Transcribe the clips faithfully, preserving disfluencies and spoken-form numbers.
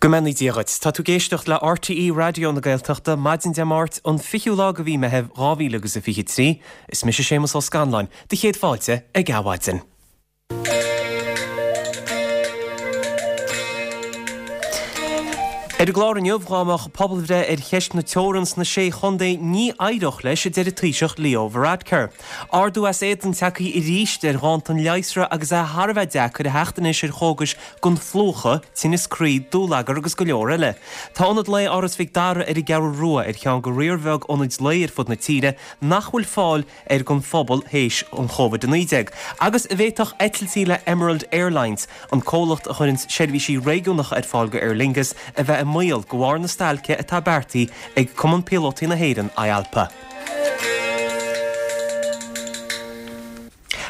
Go mbeannaí Dia dhuit. Tá tú ag éisteacht le RTÉ Raidió na Gaeltachta maidin Dé Máirt an fichiú lá de mhí Mheithimh dhá mhíle agus a fiche trí. Is mise Séamus Ó Scanláin, do chéad fáilte ag Adhmhaidin. Ar an gclár inniu, dhá mbeadh pobalbhreith ar cheist na teorann sna Sé Chontae ní éireodh leis, a deir an Taoiseach Leo Varadkar. Ardú as éadan tagtha arís ar dhánta an leigheasra agus é thar a bheith deacair a theacht anois ar chógais don phlúchadh, tinneas croí, dúlagar agus go leor eile. Tá Ionad Lae Áras Mhic Dara ar an gCeathrú Rua ar cheann de riar bheag ionaid lae ar fud na tíre nach bhfuil fáil air don phobal théis an Chóivid a naoi déag, agus an bhféadfadh eitiltí le Emerald Airlines, an comhlacht a chuireann seirbhísí réigiúnacha ar fáil go Aer Lingus, a bheith i mbaol de bharr na stailce atá beartaithe ag Cumann Píolótaí na hÉireann, IALPA.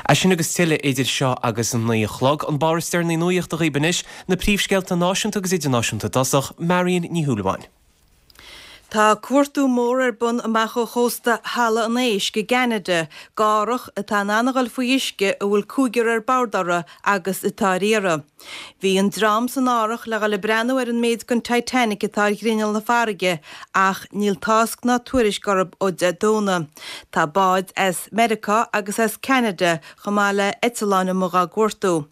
É sin agus tuilleadh idir seo agus a naoi a chlog. An barr is deireanaí nuachta dhaoibh anois, na príomhscéalta náisiúnta agus idirnáisiúnta i dtosach, Marion Ní Shúilleabháin. Tá cuartú mór ar bun amach ó chósta Halla an Éisc i gCeanada, d'árthach atá in ann a dhul faoi uisce a bhfuil cúigear ar bord orthu agus atá ar iarraidh. Bhí an dream san árthach le dhul ag breathnú ar an méid den Titanic atá ar ghrinneall na farraige ach níl tásc ná tuairisc orthu ó Dé Domhnaigh. Tá báid as Meiriceá agus as Ceanada chomh maith le eitleáin amuigh dhá gcuartú.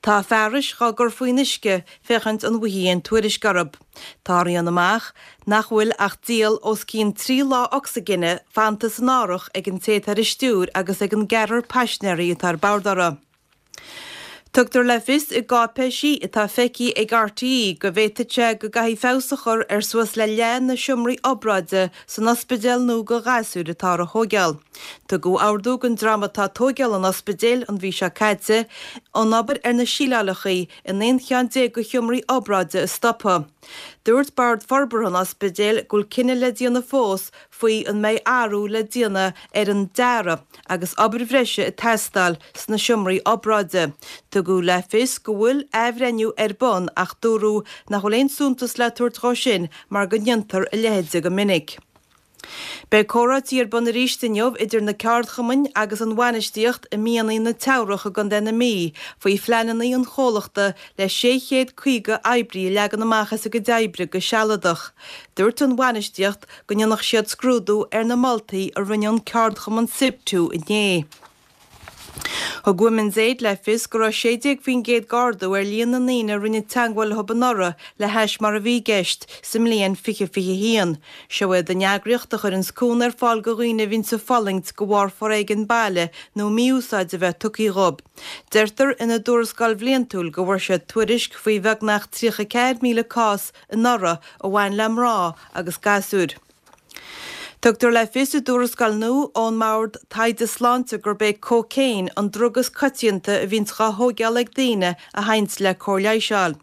Tá fearais dhá gcur faoin uisce féachaint an bhfaighfí aon tuairisc orthu. Tarlaíonn amach nach bhfuil ach diall os cionn trí lá ocsaigine fanta san árthach ag an té atá ar an stiúir agus ag an gceathrar paisinéirí atá ar bord orthu. Tugtar le fios i gcáipéisí atá feicthe ag RTÉ go bhféadfadh sé go gcaithfí feabhas a chur ar suas le leath na seomraí obráide san ospidéal nua do ghasúir atá á thóigeáil. Tugadh ordú don dream atá ag tóigeáil an ospidéil an mhí seo caite an obair ar na síleálacha in aon cheann déag de sheomraí obráide a stopadh. Dúirt Bord Forbartha an Ospidéil go bhfuil cinneadh le déanamh fós faoi an mbeidh athrú le déanamh ar an dearadh agus obair bhreise ag teastáil sna seomraí obráide. Tugadh le fios go bhfuil athbhreithniú ar bun ach dúradh nach bhfuil aon suntas le tabhairt dhó sin mar go ndéantar a leithéid go minic. Beidh comhráití ar bun arís inniu idir na ceardchumainn agus an bhainistíocht i Mianaigh na Teamhrach i gContae na Mí faoi phleananna an chomhlachta le sé chéad caoga oibrí a leagan amach as a gcuid oibre go sealadach. Dúirt an bhainistíocht go ndéanfadh siad scrúdú ar na moltaí a rinne an ceardchumann Siptu inné. Thug Women's Aid le fios go raibh sé déag faoin gcéad d'ardú ar líon na ndaoine a rinne teagmháil leo anuraidh le hais mar a bhí i gceist sa mbliain fiche fiche haon. Seo iad an eagraíocht a chuireanns cúnamh ar fáil do dhaoine a bhíonns ag fulaingt de bharr foréigean baile nó mí-úsáid a bheith tugtha dhóibh. Deirtear ina dtuarascáil bhliantúil go bhfuair siad tuairisc faoi bheagnach tríocha ceathair míle cás anuraidh a bhain le mná agus gasúir. Tugtar le fios i dtuarascáil nua ón mBord Taighde Sláinte gurb é cócaon an drug is coitianta a bhíonns dhá thóigeáil ag daoine a théanns le cóir leighis a fháil.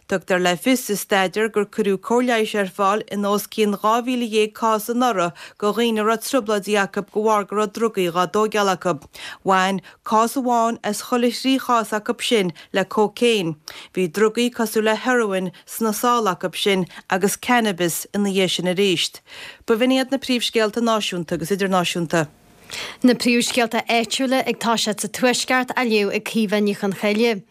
Tugtar le fios sa staidéar gur cuireadh cóir leighis ar fáil in os cionn dhá mhíle dhéag cás anuraidh do dhaoine a raibh trioblóidí acu de bharr go raibh drugaí dhá dtóigeáil acu. Bhain cás amháin as chuile thrí chás acu sin le cócaon. Bhí drugaí cosúil le heroin sna sála acu sin agus cannabis ina dhiaidh sin arís. B'in iad na príomhscéalta náisiúnta agus idirnáisiúnta. Na príomhscéalta áitiúla ag toiseacht sa Tuaisceart á léamh ag Caoimhe Ní Chonchoille.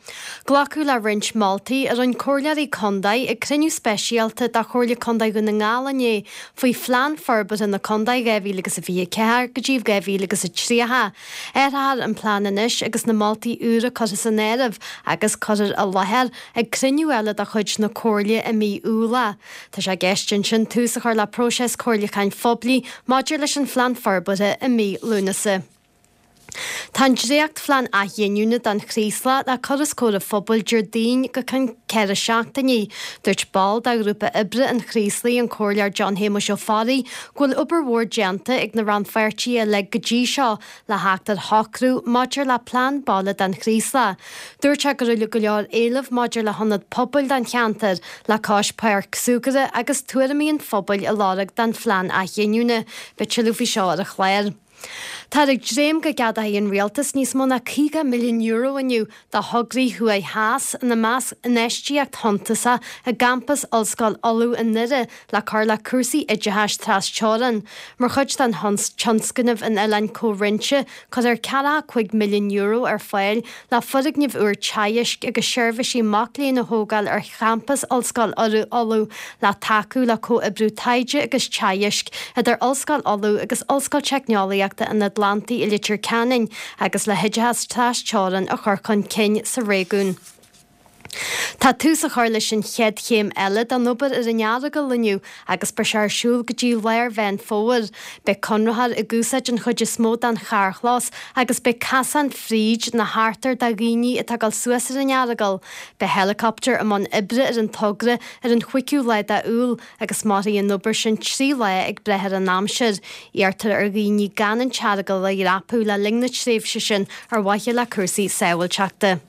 Glacadh le roinnt moltaí a rinne comhairleoirí contae ag cruinniú speisialta de Chomhairle Contae Dhún na nGall inné faoi Phlean Forbartha na Contae dhá mhíle agus a fiche a ceathair go dtí dhá mhíle agus a tríocha. Athrófar an plean anois agus na moltaí úra curtha san áireamh agus cuirfear i láthair ag cruinniú eile de chuid na Comhairle i mí Iúil é. Tá sé i gceist ansin tús a chur le próiseas comhairliúcháin phoiblí maidir leis an phlean forbartha i mí Lúnasa. Tá an dréachtphlean athghiniúna don Chraoslach le cur os comhair an phobail Déardaoin go ceann ceithre seachtainí. Dúirt ball de ghrúpa oibre an Chraoslaigh, an Comhairleoir John Shéamuis Ó Fearraigh, go bhfuil obair mhór déanta ag na rannpháirtithe uilig go dtí seo le theacht ar shocrú maidir le plean baile don Chraoslach. Dúirt sé go raibh go leor éileamh maidir le hionad pobail don cheantar, le cois páirc súgartha agus tuairimí an phobail a lorg don phlean athghiniúna. Beidh tuilleadh faoi seo ar an chlár. Táthar ag dréim go gceadóidh an rialtas níos mó ná caoga milliún euro inniu do thograí thuaidh theas, ina measc infheistíocht shuntasach i gcampas Ollscoil Uladh i nDoire le cur le cúrsaí oideachais tras-teorann. Mar chuid den tionscnamh an Oileáin Comhroinnte, cuirfear ceathracha cúig milliún euro ar fáil le foirgneamh úr teagaisc agus seirbhísí mac léinn a thógáil ar champas Ollscoil Uladh le tacú le comhoibriú taighde agus teagaisc idir Ollscoil Uladh agus Ollscoil Teicneolaíochta an Atlantaigh i Leitir Ceanainn agus le hoideachas tras-teorann a chur chun cinn sa réigiún. Tá tús á chur leis an chéad chéim eile den obair ar an Earagail inniu agus beidh sé ar siúl go dtí lár Mheán Fómhair. Beidh conraitheoir ag úsáid an chuid is mó den charrchlós agus beidh casán fríd na hartair do dhaoine atá ag dul suas ar an Earagail. Beidh helicopter i mbun oibre ar an togra ar an chúigiú lá d'Iúil agus mairfidh an obair sin trí lá ag brath ar an aimsir. Iarrtar ar dhaoine gan an tEaragail a dhreapadh le linn na tréimhse sin ar mhaithe le cúrsaí sábháilteachta.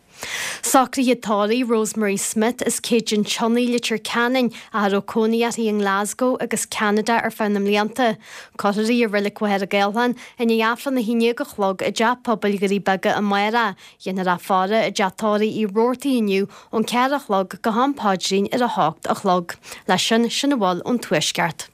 Socruithe tórraimh Rosemary Smith as Céide an tSionnaigh, Leitir Ceanainn, ach a raibh cónaí uirthi i nGlasgow agus Ceanada ar feadh na mblianta. Cuirfear í i Reilig Mhachaire Gathlán i ndiaidh Aifreann a haon déag a chlog i dTeach Pobail Dhoirí Beaga amárach. Dhéanfar a faire i dTeach Tórraimh Uí Robhartaigh inniu ón ceathair a chlog go ham paidrín ar a hocht a chlog. Leis sin, sin a bhfuil ón Tuaisceart.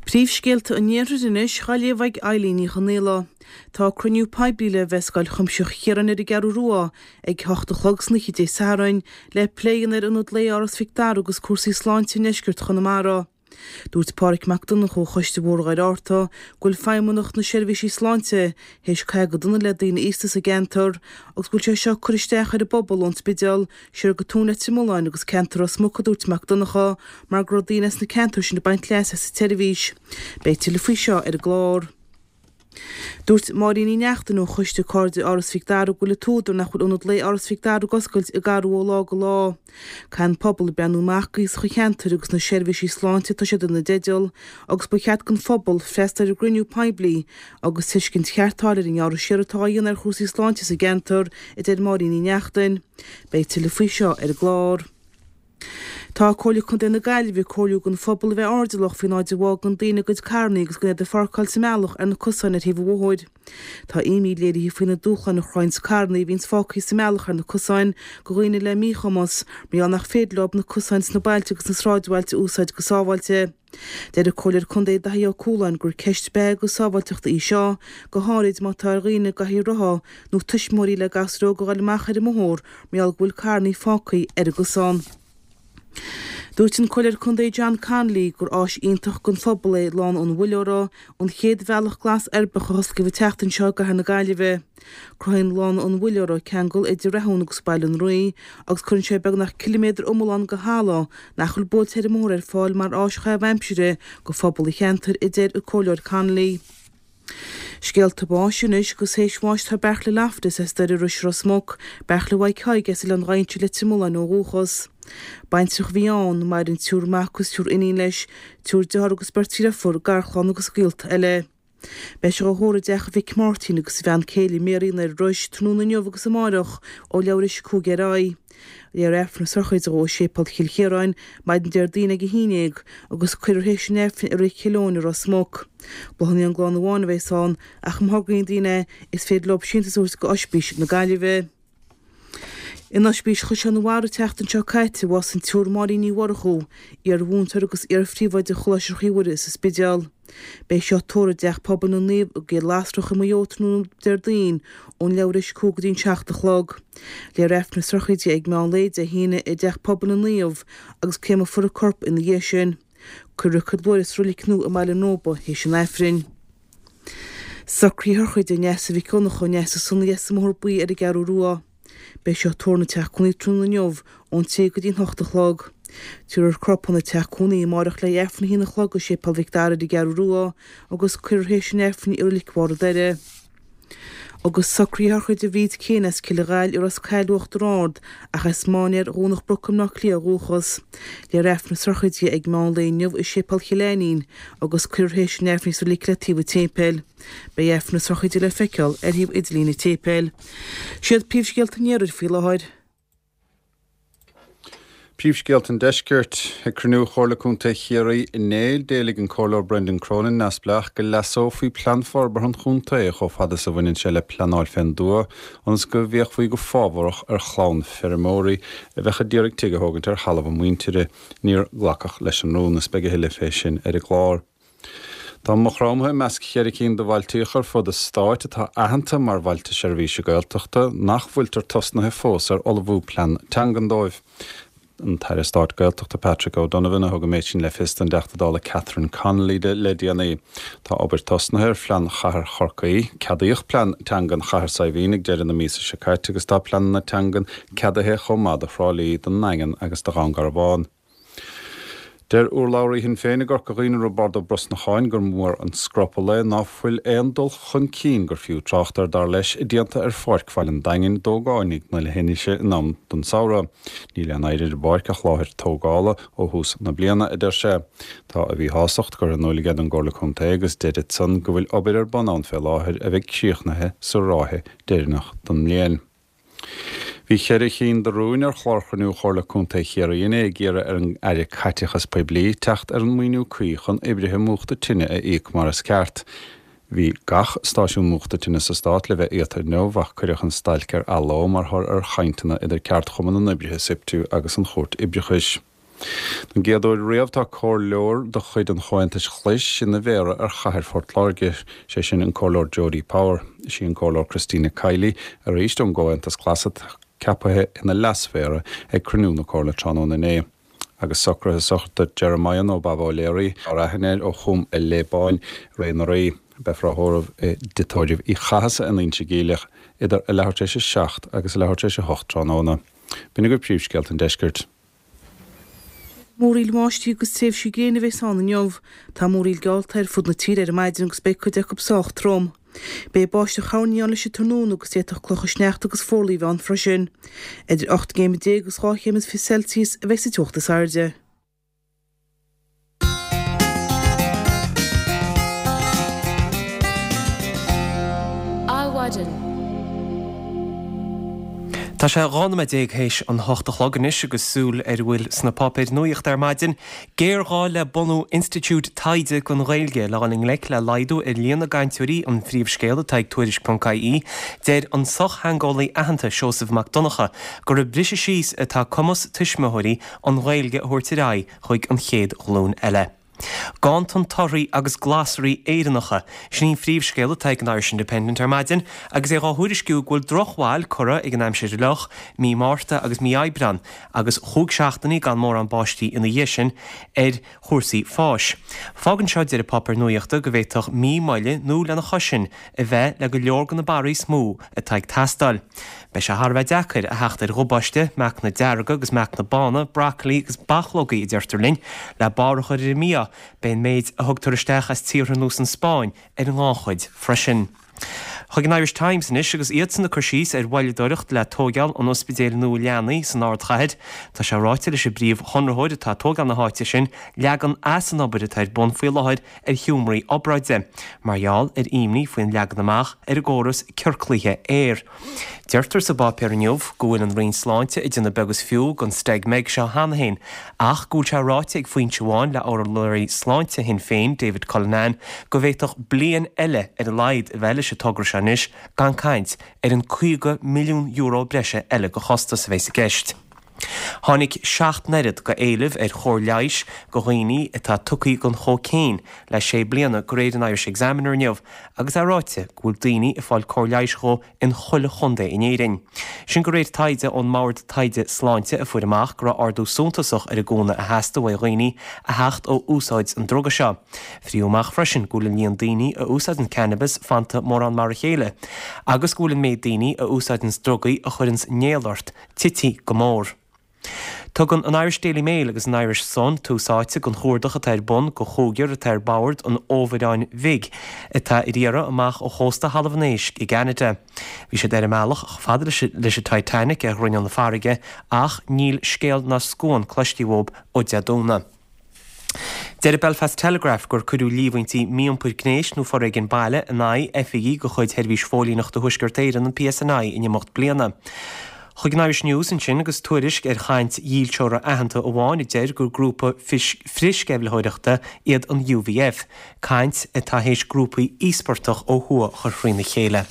Príomhscéalta an Iarthair anois, á léamh ag Eilín Ní Chonaola. Tá cruinniú poiblí le bheith i Scoil Chuimsitheach Chiaráin ar an gCeathrú Rua ag hocht a chlog san oíche Dé Sathairn le plé a dhéanamh ar Ionad Lae Áras Mhic Dara agus cúrsaí sláinte i ndeisceart Chonamara. Dúirt Pádraig Mac Donncha ó Choiste Bhóthar Dhoire Fhatharta go bhfuil Feidhmeannacht na Seirbhísí Sláinte théis caitheamh go dona le daoine aosta sa gceantar agus go bhfuil sé seo ag cur isteach ar an bpobal ón Spidéal siar go Tóin Leitir Mealláin agus ceantar Ros Muc, a dúirt Mac Donncha, mar go raibh daoine as na ceantair sin ag baint leas as an tseirbhís. Beidh tuilleadh faoi seo ar an gclár. Dúirt Máirín Ní Neachtain ó Choiste Cairde Áras Mhic Dara go bhfuil an t-údar nach bhfuil Ionad Lae Áras Mhic Dara ag oscailt ag athrú ó lá go lá. Caithfidh an pobal breathnú amach d'aosach an cheantair agus na seirbhísí sláinte atá siad ina dteideal agus ba cheart don phobal freastal ar an gcruinniú poiblí agus tuiscint cheart a fháil ar an ngearradh siar atá á dhéanamh ar chúrsaí sláinte sa gceantar, a deir Máirín Ní Neachtain. Beidh tuilleadh faoi seo ar an gclár. Tá Comhairle Contae na Gaillimhe ag comhairliú don phobal a bheith airdeallach faoin áit a bhfágann daoine a gcuid carranna agus gan iad a pháirceáil sa mbealach ar na cosáin ar thaobh an bhóthair. Tá imní léirithe faoi na dúshláin a chruthaíonns carranna a bhíonns fágtha sa mbealach ar na cosáin do dhaoine le míchumas mar gheall nach féidir leo na cosáin sna bailte agus sna sráidbhailte a úsáid go sábháilte. Deir an Comhairleoir Contae Daithí Ó Cualáin gur ceist beatha agus sábháilteachta í seo, go háirid má tá ar dhaoine i gcathaoir rotha nó tuismitheoirí le gasúir óga a ghoil amach ar an mbóthar mar gheall go bhfuil carranna fágtha ar an gcosán. Dúirt an Comhairleoir Contae John Connolly gur áis iontach don phobal é Lána an Mhuilleora, an chéad bhealach glas uirbeach a hosclaíodh an tseachtain seo i gcathair na Gaillimhe. Cruthaíonn Lána an Mhuilleora ceangal idir Rathún agus Baile an Rí agus cuireann sé beagnach ciliméadar iomlán de thalamh nach bhfuil buailte ar an mbóthar ar fáil mar áis chaitheamh aimsire do phobal an cheantair, a deir an Comhairleoir Connolly. Scéalta báis anois agus théis bháis tá Beairtle Loftus as Doire Rois Ros Muc, Beairtle Mhaidhc Thaidhg as Oileán Mhaínse Leitir Mealláin ó dhúchas. Baintreach a bhí ann, maireann triúr mac agus triúr iníon leis, triúr dearthár agus beirt dheirfiúr, garchlann agus gaolta eile. Beidh sé á thórramh i dteach a mhic Máirtín agus a bhean céile Mary i nDoire Rois tráthnóna inniu agus amáireach ó leathuair théis a cúig ar aghaidh. Léifear Aifreann na sochraide dhó i Séipéal Chill Chiaráin maidin Déardaoin ag a haon déag agus cuirfear théis an Aifrinn i Reilig Chill Eoin i Ros Muc. Bláthanna ón gclann amháin a bheas ann ach má thograíonn daoine é is féidir leo síntiús a thabhairt go Oispís na Gaillimhe. In Oispís Chaisleán an Bharraigh an tseachtain seo caite a bhásaigh an tSiúr Máirín Ní Mhurchú, iar-mhúinteoir agus iar-phríomhoide Choláiste Chroí Mhuire sa Spidéal. Beidh sí á tórramh i dTeach Pobail na Naomh i gCill Lasrach i Maigh Eo tráthnóna Déardaoin ón leathuair théis a cúig go dtí an seacht a chlog. Léifear Aifreann na sochraide ag meán lae Dé hAoine i dTeach Pobail na Naomh agus créamfar a corp ina dhiaidh sin. Cuirfear a cuid luaithre sa roilig nua i mBaile an Róba théis an Aifrinn. Socruithe sochraide Neasa Mhic Dhonncha, Neasa Sonaí as an mBóthar Buí ar an gCeathrú Rua. Beidh sí á tórramh ina teach cónaí tráthnóna inniu ón trí go dtí an hocht a chlog. Tabharfar a corp chun an teach cónaí amáireach le hAifreann a haon a chlog i Séipéal Mhic Dara ar an gCeathrú Rua agus cuirfear théis an Aifrinn í i Roilig Bharr an Doire. Agus socruithe sochraide Bhríd Keane as Cill an Ghaill i Ros Cathail Uachtar Ard ach as Mainéar Dhomhnach Broc i mBleá Cliath ó dhúchas. Léifear Aifreann na sochraide ag meán lae inniu i Séipéal Chill Ainnín agus cuirfear théis an Aifrinn í sa reilig le taobh an tséipéil. Beidh Aifreann na sochraide le feiceáil ar shuíomh idirlín an tséipéil. Siad príomhscéalta an iarthair faoi láthair. Príomhscéalta an Deiscirt ag cruinniú Chomhairle Contae Chiarraí inné d'éiligh an Comhairleoir Brendan Cronin neamhspleách go leasófaí plean forbartha an chontae chomh fada is a bhaineann sé le pleanáil fén dtuath ionas go bhféachfaí go fábharach ar chlann feirmeoirí a bheadh ag iarraidh tigh a thógaint ar thalamh a muintire. Níor glacadh leis an rún is beidh a thuilleadh fé sin ar an gclár. Tá Maigh Chromtha i measc cheithre cinn de bhailtíocha ar fud an stáit atá aitheanta mar bhailte seirbhíse Gaeltachta nach bhfuiltear tosnaithe fós ar ullmhú plean teangan dóibh. An tAire Stáit Gaeltachta Patrick O'Donovan a thug an méid sin le fios don dTeachta Dála Catherine Connolly le déanaí. Tá obair tosnaithe ar phlean chathair Chorcaí, ceadaíodh plean teangan chathair Saidhbhín ag deireadh na míosa seo caite agus tá pleananna teangan ceadaithe chomh maith do Thrá Lí, don nDaingean agus do Dhún Garbhán. Deir urlabhraí Shinn Féin i gCorca Dhuibhne Roibeárd Ó Brosnacháin gur mór an scrupall é ná fuil aon dul chun cinn gur fiú trácht air dar leis déanta ar Pháirc Bhaile an Daingin d'ógánaigh na leithinise in am don samhradh. Níl aon oidhre ar an bpáirc ach láthair tógála ó thús na bliana, a deir sé. Tá a mhíshástacht curtha in iúl aige don gComhairle Contae agus deir san go bhfuil obair ar bun ann fé láthair a bheidh críochnaithe sa ráithe deireanach don mbliain. Bhí ceithre chinn de rúin ar chlár chruinniú Chomhairle Contae Chiarraí inné ag iarraidh ar an Aire Caiteachas Poiblí teacht ar an maoiniú cuí chun oibrithe múchta tine a íoc mar is ceart. Bhí gach stáisiún múchta tine sa stát le bheith iata inniu ach cuireadh an stailc ar athló mar thoradh ar chainteanna idir ceardchumann na n-oibrithe SIPTU agus an Chúirt Oibreachais. Don gcéad uair riamh tá comhairleoir de chuid an Chomhaontais Ghlais ina mhéara ar chathair Phort Láirge, sé sin an Comhairleoir Jody Power. Is í an Comhairleoir Christina Kiely arís ón gComhaontas Glas atá ceaptha ina leasmhéara ag cruinniú na Comhairle tráthnóna inné. Agus socruithe sochraide Jeremiah nó Baba O'Leary ar aithne air ó Chúm an Léabáin Ré na Rí. Beifear á thórramh i dTigh Tórraimh Uí Chathasaigh in Inse Geimhleach idir a leathuair tar éis a seacht agus a leathuair tar éis a hocht tráthnóna. B'in agaibh príomhscéalta an deiscirt. Múraíl bháistí agus tréimhsí gréine a bheas ann inniu. Tá múraíl geallta ar fud na tíre ar maidin agus beidh cuid acu sách trom. Beidh báisteach thoirní ann leis an tráthnóna agus d'fhéadfadh clocha sneachta agus forlámh ann freisin. Idir ocht gcéim déag agus dhá chéim is fiche Celsius a bheidh sa teocht is airde. Adhmhaidin. Tá sé dhá nóiméad déag théis an hocht a chlog anois agus súil ar a bhfuil sna páipéir nuachta ar maidin. Géarghá le bunú Institiúid Taighde don Ghaeilge le dhul i ngleic le laghdú ar líon na gcainteoirí an phríomhscéal atá ag Tuairisc ponc ie. Deir an sochtheangeolaí aitheanta Seosamh Mac Donncha gur ag briseadh síos atá cumas tuismitheoirí an Ghaeilge a thabhairt ar aghaidh chuig an chéad ghlúin eile. Ganntan torthaí agus glasraí Éireannacha, sin í an phríomhscéal atá ag an Irish Independent ar maidin agus é dhá thuairisciú go bhfuil drochbhail curtha ag an aimsir fhliuch mí Márta agus mí Aibreán agus chúig seachtainí gan mórán báistí ina dhiaidh sin ar chúrsaí fáis. Fágann seo deir an páipéar nuachta go bhféadfadh mí moille nó lena chois sin a bheith le go leor de na barraí is mó atá ag teastáil. Beidh sé thar a bheith deacair a theacht ar ghubáiste, meacanna dearga agus meacanna bána, brocailí agus bachlógaí a deirtear linn, le barr a chur ar an mbia. Beidh an méid a thugtar isteach as tíortha ar nós an Spáinn ar an ngannchuid freisin. Chuig an Irish Times anois agus iadsan ag cur síos ar mhoilleadóireacht le tóigeáil an ospidéil nua leanaí san ardchathair. Tá sé ráite leis an bpríomhchonraitheoir atá ag tógáil na háite sin leagan as an obair atá ar bun faoi láthair ar sheomraí obráide, mar gheall ar imní faoin leagan amach ar an gcóras ciorclaithe aeir. Deirtear sa bpáipéar inniu go bhfuil an Roinn Sláinte ag déanamh beag is fiú den Steig Meg seo cheana féin, ach go bhfuil sé ráite ag foinse amháin le urlabhraí sláinte Shinn Féin, David Cullinane, go bhféadfadh bliain eile ar a laghad a bheith leis an togra seo anois gan caint ar an caoga milliún euro breise eile de chostas a bheas i gceist. Tháinig seacht n-oiread de éileamh ar chóir leighis do dhaoine atá tugtha don chócaon le sé bliana de réir an Irish Examiner inniu agus é ráite go bhfuil daoine ag fáil cóir leighis dhó in chuile chontae in Éirinn. Sin de réir taighde ón mBord Taighde Sláinte a fuair amach go raibh ardú suntasach ar an gcúnamh a theastaigh uaidh dhaoine a theacht ó úsáid an druga seo. Fríodh amach freisin go bhfuil an líon daoine a úsáideann cannabis fanta mórán mar a chéile agus go bhfuil an méid daoine a úsáideann drugaí a chuireann néal ort tite go mór. Tugann an Irish Daily Mail agus an Irish Sun tús áite don chuardach atá ar bun do chúigear atá ar bord an fhomhuireáin bhig atá ar iarraidh amach ó chósta Thalamh an Éisc i gCeanada. Bhí siad ar a mbealach chomh fada leis an Titanic ar ghrinneall na farraige ach níl scéal ná scuan cloiste uathu ó Dé Domhnaigh. Deir an Belfast Telegraph gur cuireadh líomhaintí mí-iompair gnéis nó foréigean baile in aghaidh oifigigh de chuid Sheirbhís Phóilíneachta Thuaisceart Éireann an PSNI in imeacht bliana. Chuig an Irish News ansin agus tuairisc ar chaint dhílseora aitheanta amháin a deir gur grúpa frithsceimhlitheoireachta iad an UVF, caint atá théis grúpaí íospartach ó thuaidh a chur thrína chéile.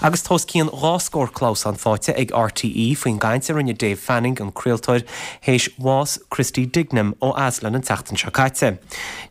Agus tá os cionn dhá scór clamhsán faighte ag RTÉ faoin gcaint a rinne Dave Fanning an craoltóir théis bhás Christy Dignam ó Aslan an tseachtain seo caite.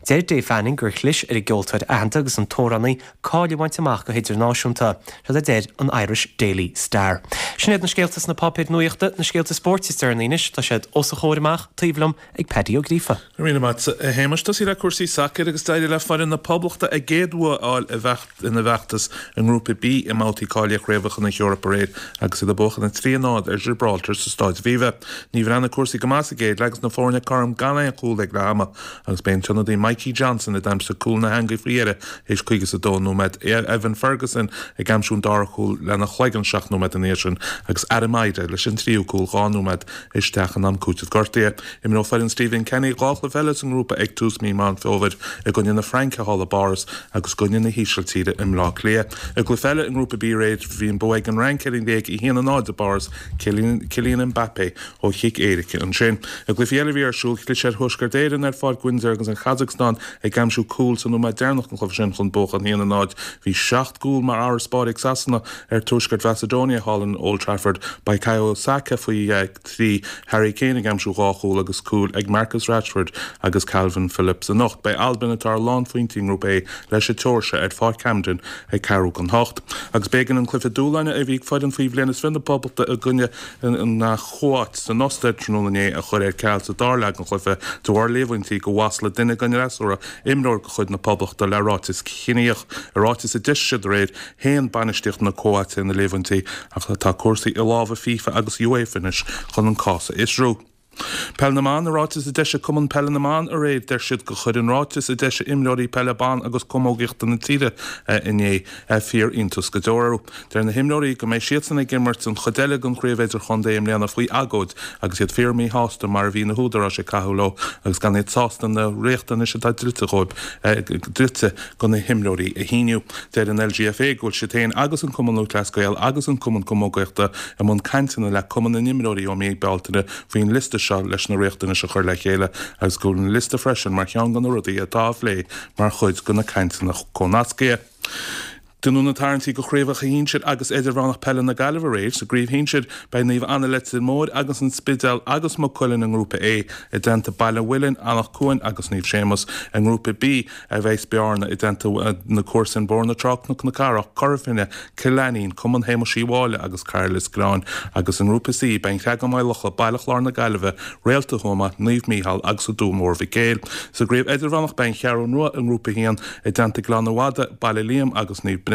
Deir Dave Fanning gur chlis ar an gceoltóir aitheanta agus an t-amhránaí cáil a bhaint amach go hidirnáisiúnta, rud a deir an Irish Daily Star. Sin iad na scéalta sna páipéir nuachta na scéalta spóirt is deireanaí anois tá siad os a chomhair amach taobh liom ag Paddy Ó Gríofa. Rína mat Shéamais tosaí le cúrsaí sacair agus d'éirigh le foireann na Poblachta a gcéad bhua a fháil ina bhfeachtas i ngrúpa B i mbabhtaí cáilithe chraobhacha na hEorpa aréir agus iad ag buachan a trí a náid ar Gibraltar sa Staid Aviva. Ní bhreathnaigh cúrsaí go maith sa gcéad leath agus na foirne cothrom gan aon chúl ag leath ama agus b'é an t-ionadaí Mikey Johnston a d'aimsigh cúl na heangaí faoi dheireadh théis caoga is a dó nóiméad Evan Ferguson ag aimsiú an dara cúl lena chloigeann seacht nóiméad ina dhiaidh sin agus Adam Idah leis an tríú cúl dhá nóiméad isteach in am cúitimh gortaithe. Imreoidh foireann Stephen Kenny dhá chluiche eile sa ngrúpa ag tús mí Meán Fómhair i gcoinne na Fraince thall i bPáras agus i gcoinne na hÍsiltíre i mBleá Cliath. I gcluiche eile i ngrúpa B aréir bhí an bua ag an Fhrainc ar an nGréig a haon a náid i bPáras, Kylian Mbappé ó chic éirice ansin. I gcluichí eile a bhí ar siúl, chlis ar Thuaisceart Éireann ar Pháirc Windsor agus an Chasacstáin ag aimsiú cúl sa nóiméad deireanach den chluiche sin chun buachan a haon a náid. Bhí seacht gcúl mar fharasbarr ag Sasana ar Tuaisceart Mhacedonia thall in Old Trafford. Bukayo Saka faoi trí, Harry Kane ag aimsiú dhá chúl agus cúil ag Marcus Rashford agus Kalvin Phillips anocht. Beidh Albain atá ar lánphointí i nGrúpa A leis an tSeoirsia ar Pháirc Hampden ag ceathrú don hocht. Agus b'éigean an cluiche dúshláin a bhí ag foireann faoi bhliain is fiche na Poblachta i gcoinne na Cóáite san Ostair tráthnóna inné a chur ar ceal sa dara leath den chluiche de bharr líomhaintí go mhaslaigh duine den fhreasúra imreoir de chuid na Poblachta le ráiteas ciníoch. I ráiteas a d'eisigh siad aréir, shéan bainistíocht na Cóáite na líomhaintí ach tá cúrsaí i lámha FIFA agus UEFA anois chun an cás a fhiosrú. Peil na mBan, I ráiteas a d'eisigh Cumann Peile na mBan aréir, deir siad gur chuir an ráiteas a d'eisigh imreoirí peile ban agus camógaíochta na tíre inné fíor-iontas go deo orthu. Deir na himreoirí go mbeidh siadsan ag imirt an chuid eile den chraobh idirchontae i mbliana faoi agóid agus iad fíor-mhíshásta mar a bhí na húdaráis ag caitheamh leo agus gan iad sásta na riachtanais atá dlite dhóibh dlite do na himreoirí a shíniú. Deir an LGFA go bhfuil siad féin agus an Cumann Lúthchleas Gael agus an Cumann Camógaíochta i mbun cainteanna le Cumann na nImreoirí ó mí Bealtaine faoin liosta seo leis na riachtanais a chur le chéile agus go bhfuil an liosta freisin mar cheann de na rudaí atá á phlé mar chuid de na cainteanna comhnascaithe. Deineadh na tarraingtí do chraobhacha shinsir agus idirmheánach peile na Gaillimhe aréir. Sa gcraobh shinsir, beidh Naomh Anna Leitir Móir agus an Spidéal agus Maigh Cuilinn i nGrúpa A, i dteannta Baile an Mhuilinn, Anach Cuain agus Naomh Séamus. I nGrúpa B a bheas Bearna i dteannta na comharsan Bóthar na Trá, Cnoc na Cathrach, Cora Finne, Cill Ainnín, Cumann Shéamuis Uí Mháille agus Cairlios Gleann agus i nGrúpa C beidh An Creagán Maigh Locha, Baile Chláir na Gaillimhe, Réalta Thuama, Naomh Mícheál agus An Dún Mór Mhic Éil. Sa gcraobh idirmheánach beidh An Cheathrú Rua i nGrúpa a haon i dteannta Gleann an Mhada, Baile Liam agus Naomh Breandán.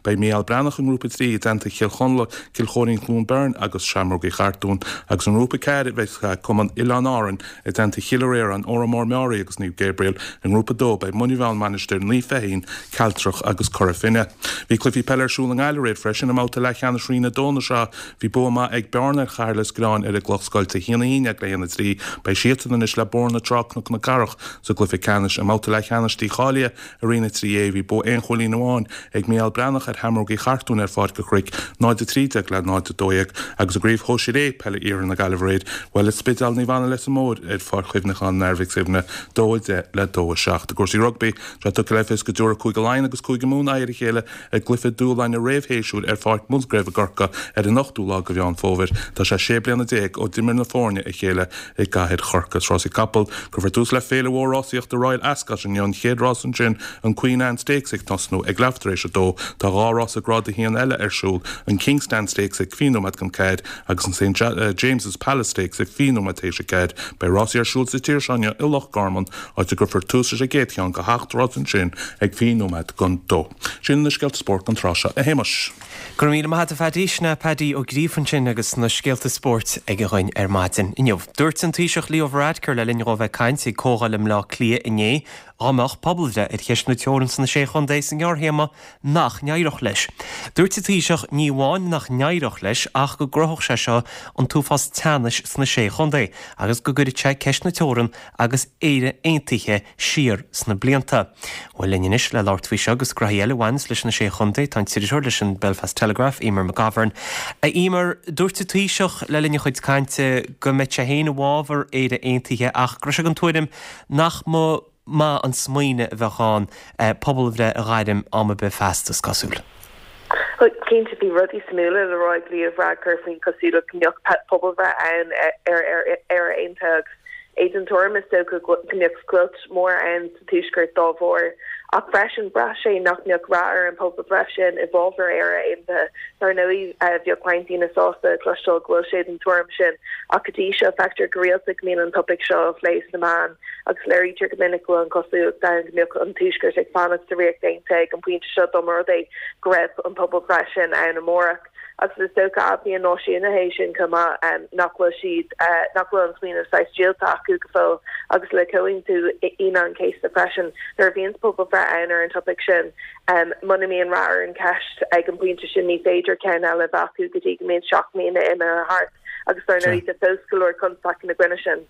Beidh Mícheál Breathnach i nGrúpa a trí i dteannta Chill Chonla, Cill Chóirín Cluain Bheirn agus Seamrógaí Chartúin agus i nGrúpa a ceathair beidh Cumann Oileáin Árann i dteannta Chill Réaráin, Órán Mór Meáraí agus Naomh Gabriel. I nGrúpa a dó beidh Muine Mheá, An Mhainistir, Naomh Feichín, Cealtrach agus Cora Finne. Bhí cluichí peile ar siúl i nGaillimh aréir freisin i mbabhta leathcheannais Roinn a dó na sraithe. Bhí bua maith ag Bearna ar Chathair Lios Gréanáin ar an gCloch Scoilte, a haon a haon déag le haon a trí. Beidh siadsan anois le Bóthar na Trá Cnoc na Cathrach sa gcluiche ceannais. I mbabhta leathcheannais dícháilithe i Roinn a trí A, bhí bua aon chúilín amháin ag Mícheál Breathnach ar Sheamrógaí Chartúin ar Pháirc an Chnoic, náid a trí déag le náid a dó dhéag, agus i gCraobh Shóisir A Peile Iarthar na Gaillimhe aréir, bhuail An Spidéal Naomh Anna Leitir Móir ar Pháirc Chuimhneacháin an Athar Mhic Suibhne, dó a deich le dó a seacht. I gcúrsaí rugbaí, tá tugtha le fios go dtabharfaidh Cúige Laighean agus Cúige Mumhan aghaidh ar a chéile i gcluiche dúshláin réamhshéasúir ar Pháirc Musgrave i gCorcaigh ar an ochtú lá de Mheán Fómhair. Tá sé sé bliana déag ó d'imir na foirne a chéile i gcathair Chorcaí. Is rásaí capall, cuirfear tús le féile mhór rásaíochta Royal Ascot inniu, an chéad rás ansin, an Queen Anne Stakes ag tosnú ag leathuair tar éis a dó. Tá dhá rás Grád a haon eile ar siúl, an King's Stand Stakes ag fiche nóiméad don ceathair agus an St James's Palace Stakes ag fiche nóiméad tar éis a ceathair. Beidh rásaí ar siúl sa tír seo inniu i Loch Garman, áit a gcuirfear tús leis an gcéad cheann de sheacht rás ansin ag fiche nóiméad don dó. Sin na scéalta spóirt don tráth seo, a Shéamais. Go raibh míle maith agat a Phaddy. Sin é Paddy Ó Gríofa ansin agus na scéalta spóirt aige dhuinn ar maidin inniu. Dúirt an Taoiseach Leo Varadkar le linn dhó bheith ag caint ag comhdháil i mBleá Cliath inné dá mbeadh pobalbhreith ar cheist na teorann sna Sé Chontae sa ngearrthéarma nach n-éireodh leis. Dúirt an Taoiseach ní amháin nach n-éireodh leis ach go gcruthódh sé seo an t-uafás teannais sna Sé Chontae agus go gcuirfeadh sé ceist na teorann agus Éire aontaithe siar sna blianta. Bhuel linn anois le labhairt faoi seo agus graithí eile a bhaineas leis na Sé Chontae tá an t-iriseoir leis an Belfast Telegraph Telegraph, Emer McGovern. A Emer, dúirt an Taoiseach le linn a chuid cainte go mbeadh sé féin i bhfabhar Éire Aontaithe ach go raibh sé den tuairim nach mba maith an smaoineamh a bheadh ann pobalbhreith a ghairm am ar bith feasta, is cosúil. Cinnte bhí rudaí suimiúla le rá ag Leo Varadkar faoin cosúlacht go mbeadh pobalbhreith ann ar Éire Aontaithe agus é den tuairim is dócha go mbeadh scoilt mór ann sa Tuaisceart dá bharr. Ach freisin bhraith sé nach mbeadh rath ar an pobalbhreith sin i bhfabhar Éire Aontaithe. Dar ndóigh bheadh roinnt daoine sásta cloisteáil go bhfuil sé den tuairim sin ach go dtí seo feictear go rialta go mbíonn an topaic seo á phlé sna meáin agus léirítear go minic go bhfuil an cosúlacht ann go mbeadh an Tuaisceart ag fanacht sa Ríocht Aontaithe ag an bpointe seo dá mba rud é go raibh an pobalbhreith sin ann amárach. Agus is dócha admhaíonn náisiúnaithe é sin chomh maith nach bhfuil siad nach bhfuil an smaoineamh saghas díolta acu go fóill agus le Comhaontú Aoine an Chéasta freisin nuair a bhíonn pobalbhreith ann ar an topaic sin muna mbíonn rath ar an cheist ag an bpointe sin ní féidir ceann eile a bheith acu go dtí go mbíonn seacht mbliana imithe thart agus dar ndóigh tá fós go leor constaic ina gcoinne sin.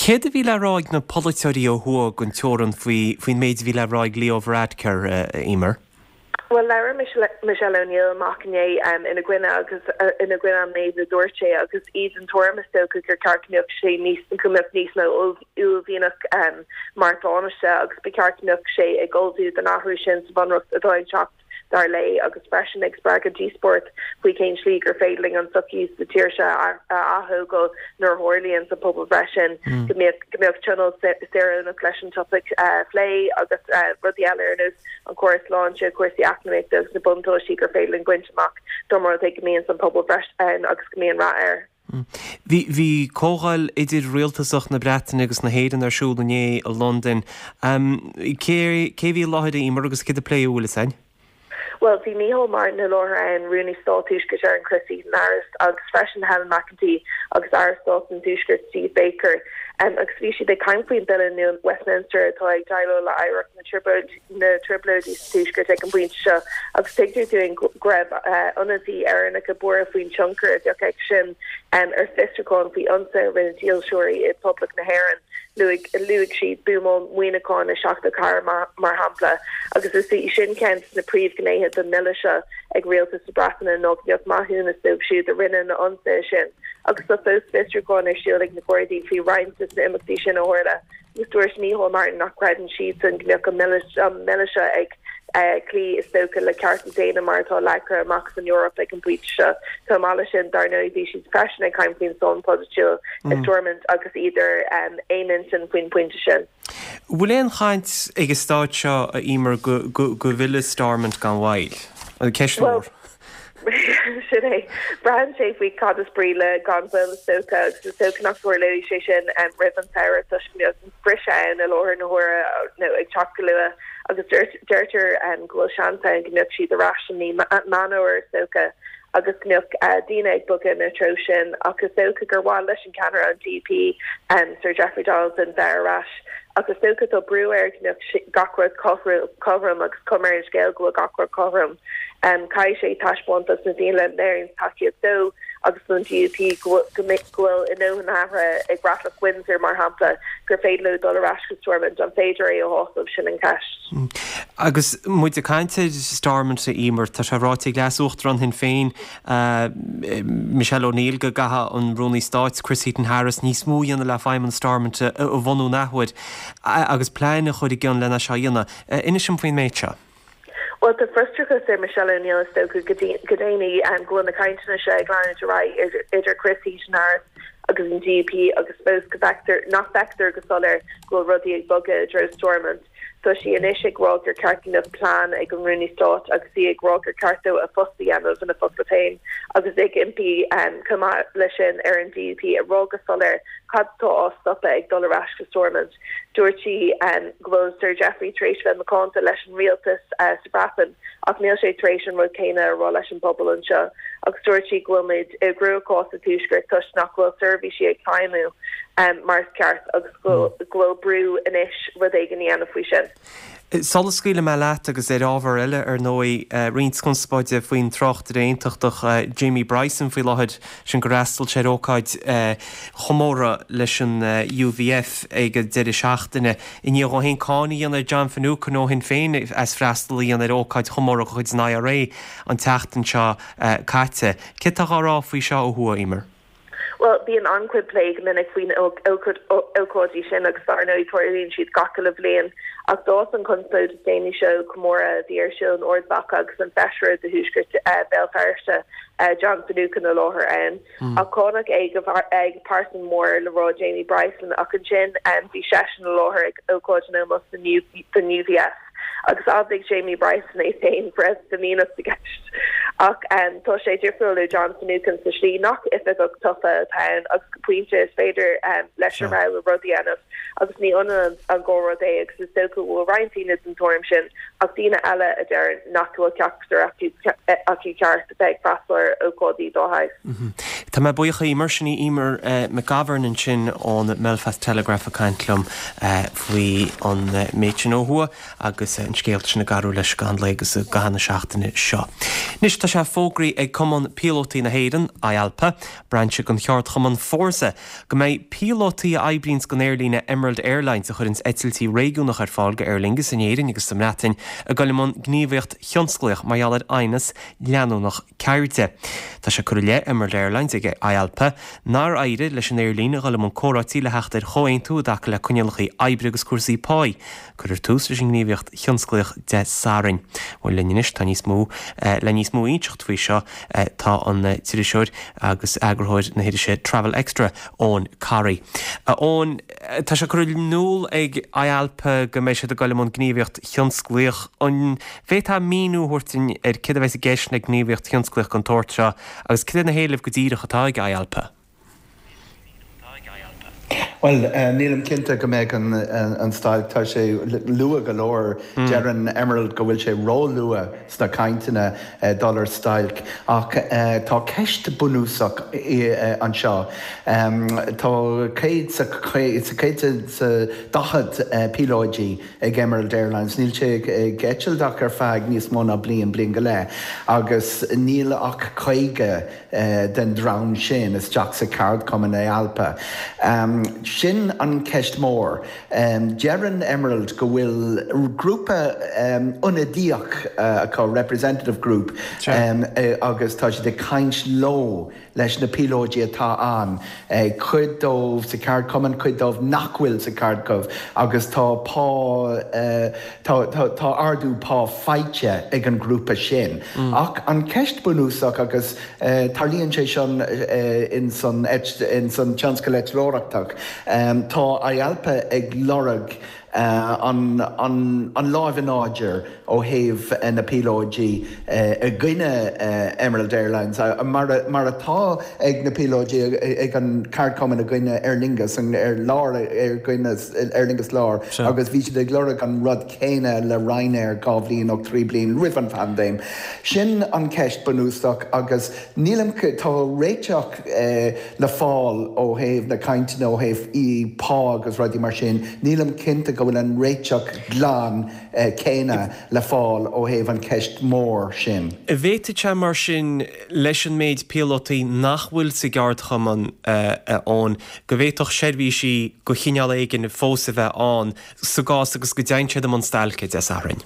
Céard a bhí le rá ag na polaiteoirí ó thuaidh den teorainn faoi faoin méid a bhí le rá ag Leo Varadkar, a Emer? Bhuel, labhair Michelle O'Neill amach inné ina gcoinne agus ina gcoinne an méid a dúirt sé agus í den tuairim is dócha gur ceart go mbeadh sé níos go mbeadh níos mó uaillmhianach mar Tánaiste agus ba cheart go mbeadh sé ag ullmhú don athrú sin sa bhunreacht atá ag teacht dar léi agus freisin ag spreagadh díospóireacht faoi cén slí gur féidir linn an tsochaí sa tír seo a atógáil nuair a tharlaíonn an pobalbhreith sin go mbeadh go mbeadh tionól saoránach leis an topaic a phlé agus rudaí eile ar nós an córas sláinte, cúrsaí eacnamaíochta agus na buntáistí gur féidir linn baint amach dá mba rud é go mbíonn an pobalbhreith ann agus go mbíonn rath air. Bhí bhí comhdháil idir-rialtasach na Breataine agus na hÉireann ar siúl inné i Londain. Cé cé bhí i láthair a Emer agus céard a pléadh, an bhfuil fhios a'inn? Bhuel, bhí Micheál Martin i láthair ann, Rúnaí Stáit Thuaisceart Éireann Chris Heaton-Harris agus freisin Helen McEntee agus Aire Stáit an Tuaiscirt Steve Baker agus bhí siad ag caint faoin bille nua Westminster atá ag déileáil le hoidhreacht na dtrioblóidí sa Tuaisceart ag an bpointe seo agus tuigtear dúinn go raibh ionadaithe Éireannacha buartha faoin tionchar a bheadh aige sin ar fiosrúcháin faoi ionsaithe a rinne dílseoirí i bPoblacht na hÉireann. Luaigh luaigh siad buamáil Mhuineacháin i seachtó ceathair mar shampla agus is í sin ceann de na príomhghnéithe den mbille seo ag rialtas na Breataine ná go mbeadh maithiúnas dóibh siúd a rinne na hionsaithe sin agus tá fós fiosrúcháin ar siúl ag na Gardaí faoi roinnt de na imeachtaí sin a tharla agus dúirt Micheál Martin nach gcreideann siadsan go mbeadh an mbille seo ag cloí is dócha le cearta daonna mar atá leagtha amach san Eoraip ag an bpointe seo. Chomh maith leis sin, dar ndóigh, bhí siad freisin ag caint faoin sáinn pholaitiúil i Stormont agus iad ar aon intinn faoin bpointe sin. Bhfuil aon chaint ag an stáid seo, a Emer, go bhfillfidh Stormont gan mhoill? Ceist mhór. Sin é. Braitheann sé faoi cad is brí le gan mhoill is dócha agus is dócha nach dtarlóidh sé sin roimh an samhradh toisc go mbeadh briseadh ann i láthair na huaire nó ag teacht go luath agus deirtear go bhfuil seans ann go mbeadh siad ar ais i mí Meán Fómhair is dócha agus go mbeadh daoine ag bogadh ina treo sin ach is dócha gur mhaith leis an ceannaire an DUP Sir Jeffrey Donaldson bheith ar ais ach is dócha tá brú air go mbeadh gach rud cothrom agus cuma ar an scéal go bhfuil gach rud cothrom. Caithfidh sé taispeáint dos na daoine a léiríonn tacaíocht dó agus don DUP go bhfuil a ndóthain athraithe i gcreatlach Windsor, mar shampla, gur féidir leo dul ar ais go Stormont. An féidir é a shásamh? Sin an cheist. Agus muid ag caint ar Stormont, a Emer, tá sé ráite ag Leas-Uachtarán Shinn Féin, Michelle O'Neill, go gcaithfidh an Rúnaí Stáit, Chris Heaton-Harris, níos mó a dhéanamh le feidhmeannas Stormont a bhunú an athuair agus plean a chur i gcionn lena seo a dhéanamh. Inis dom faoin méid seo. Bhuel, tá frustrachas ar Michelle O'Neill is dócha go déanaí go bhfuil na cainteanna seo ag leanúint ar aghaidh idir Chris Heaton-Harris agus an DUP agus fós go bhfeictear nach bhfeictear go soiléir go bhfuil rudaí ag bogadh i dtreo Stormont. Tá sí anois ag rá gur ceart go mbeadh plean ag an Rúnaí Stáit agus í ag rá gur ceart dó a phost a dhéanamh ina focla féin agus ag impí chomh maith leis sin ar an DUP a rá go soiléir cad atá á stopadh ag dul ar ais go Stormont. Dúirt sí go bhfuil Sir Jeffrey tar éis bheith macánta leis an rialtas sa Bhreatain ach níl sé tar éis an rud céanna a rá leis an bpobal anseo agus dúirt sí go bhfuil muid i gcruachás sa Tuaisceart toisc nach bhfuil seirbhísí ag feidhmiú. mar is ceart agus go bhfuil brú anois rud éigin a dhéanamh faoi sin. Sula scaoilfidh mé leat agus ar ábhar eile ar ndóigh, roinnt conspóide faoin tráchtaire aontachtach Jamie Bryson faoi láthair, sin gur fhreastail sé ar ócáid chomórtha leis an UVF ag an deireadh seachtaine i ndiaidh dó féin cáineadh a dhéanamh ar John Finucane ó Shinn Féin as freastal a dhéanamh ar ócáid chomórtha de chuid an IRA an tseachtain seo caite. Céard atá á rá faoi seo ó thuaidh, Emer? Bhuel, bíonn an-chuid plé go minic faoi na hócáidí sin agus dar ndóigh tarlaíonn siad gach uile bhliain. Ach d'fhás an chonspóid is déanaí seo ó chomóradh a bhí ar siúl in Ard Mhacha agus an feisire do Thuaisceart Bhéal Feirste, John Finucane i láthair ann. Ach cáineadh é ag pearsan mór le rá Jamie Bryson ach ansin bhí seisean i láthair ag ócáid in ómós don UVF. Agus d'admhaigh Jamie Bryson é féin go raibh fimíneacht i gceist. Ach tá sé difriúil ó John Finucane sa slí nach oifigeach tofa atá ann agus go pointe is féidir leis a rogha rud a dhéanamh agus ní ionann an dhá rud é agus is dócha go bhfuil roinnt daoine den tuairim sin ach daoine eile a deir nach bhfuil ceachtar acu ceart a bheith ag freastal ar ócáidí dá shaghas. Tá mé buíoch a Emer, sin í Emer McGovern ansin ón mBelfast Telegraph ag caint liom faoi an méid sin ó thuaidh agus an scéal sin ag athrú leis i gcaitheamh an lae agus i gcaitheamh na seachtaine seo. Anois tá sé fógraithe ag Cumann Píolótaí na hÉireann, IALPA, brainse den cheardchumann Fórsa, go mbeidh píolótaí a oibríonns don aerlíne Emerald Airlines, a chuireanns eitiltí réigiúnacha ar fáil go Aer Lingus in Éirinn agus sa mBreatain, ag dul i mbun gníomhaíocht thionsclaíoch mar gheall ar aighneas leanúnach ceirde. Tá sé curtha i leith Emerald Airlines ag IALPA nár éirigh leis an aerlíne a dhul i mbun comhráití le theacht ar chomhaontú i dtaca le coinníollacha oibre agus cúrsaí páí. Cuirfear tús leis an ngníomhaíocht thionsclaíoch Dé Sathairn. Bhuel linn anois tá níos mó le níos mó a inseacht faoi seo tá an t-iriseoir agus eagarthóir na hirise Travel Extra, Eoin Corry. A Eoin, tá sé curtha in iúl ag IALPA go mbeidh siad ag dul i mbun gníomhaíocht thionsclaíoch. An bhféadfá míniú a thabhairt dúinn ar céard a bheas i gceist le gníomhaíocht thionsclaíoch den tsórt seo agus cad iad na héilimh go díreach atá ag IALPA? Bhuel, nílim cinnte go mbeidh an stailc, tá sé luath go leor. Deireann Emerald go bhfuil sé ró-luath sna cainteanna dul ar stailc ach tá ceist bunúsach anseo. Tá céad sa céad sa daichead píolóidí ag Emerald Airlines. Níl sé ag eitilt ach ar feadh níos mó ná bliain, bliain go leith, agus níl ach caoga den dream sin isteach sa cheardchumann IALPA. Sin an ceist mór. Deireann Emerald go bhfuil grúpa ionadaíoch acu, representative group, agus tá siad ag caint leo leis na píolóidí atá ann, cuid dóibh sa cheardchumann, cuid dóibh nach bhfuil sa cheardchumann agus tá pá, tá, tá ardú pá faighte ag an ghrúpa sin. Ach an ceist bunúsach, agus tarlaíonn sé seo in san, in san tionscal eitleoireachtach, tá IALPA ag lorg an an láimh in airde ó thaobh na píolóidí i gcoinne Emerald Airlines, mar mar atá ag na píolóidí ag an ceardchumann i gcoinne Aer Lingus ar lár ar gcoinne Aer Lingus Lár agus bhí siad ag lorg an rud céanna le Ryanair dhá bhliain nó trí bliain roimh an phaindéim. Sin an ceist bunúsach agus nílim tá réiteach le fáil ó thaobh na cainteanna ó thaobh pá agus rudaí mar sin, nílim cinnte go bhfuil an réiteach glan céanna le fáil ó thaobh an cheist mhór sin. An bhféadfadh sé mar sin, leis an méid píolótaí nach bhfuil sa gceardchumann ann, go bhféadfadh seirbhísí de chineál éigin fós a bheith ann sa gcás agus go dtéann siad i mbun stailce Dé Sathairn?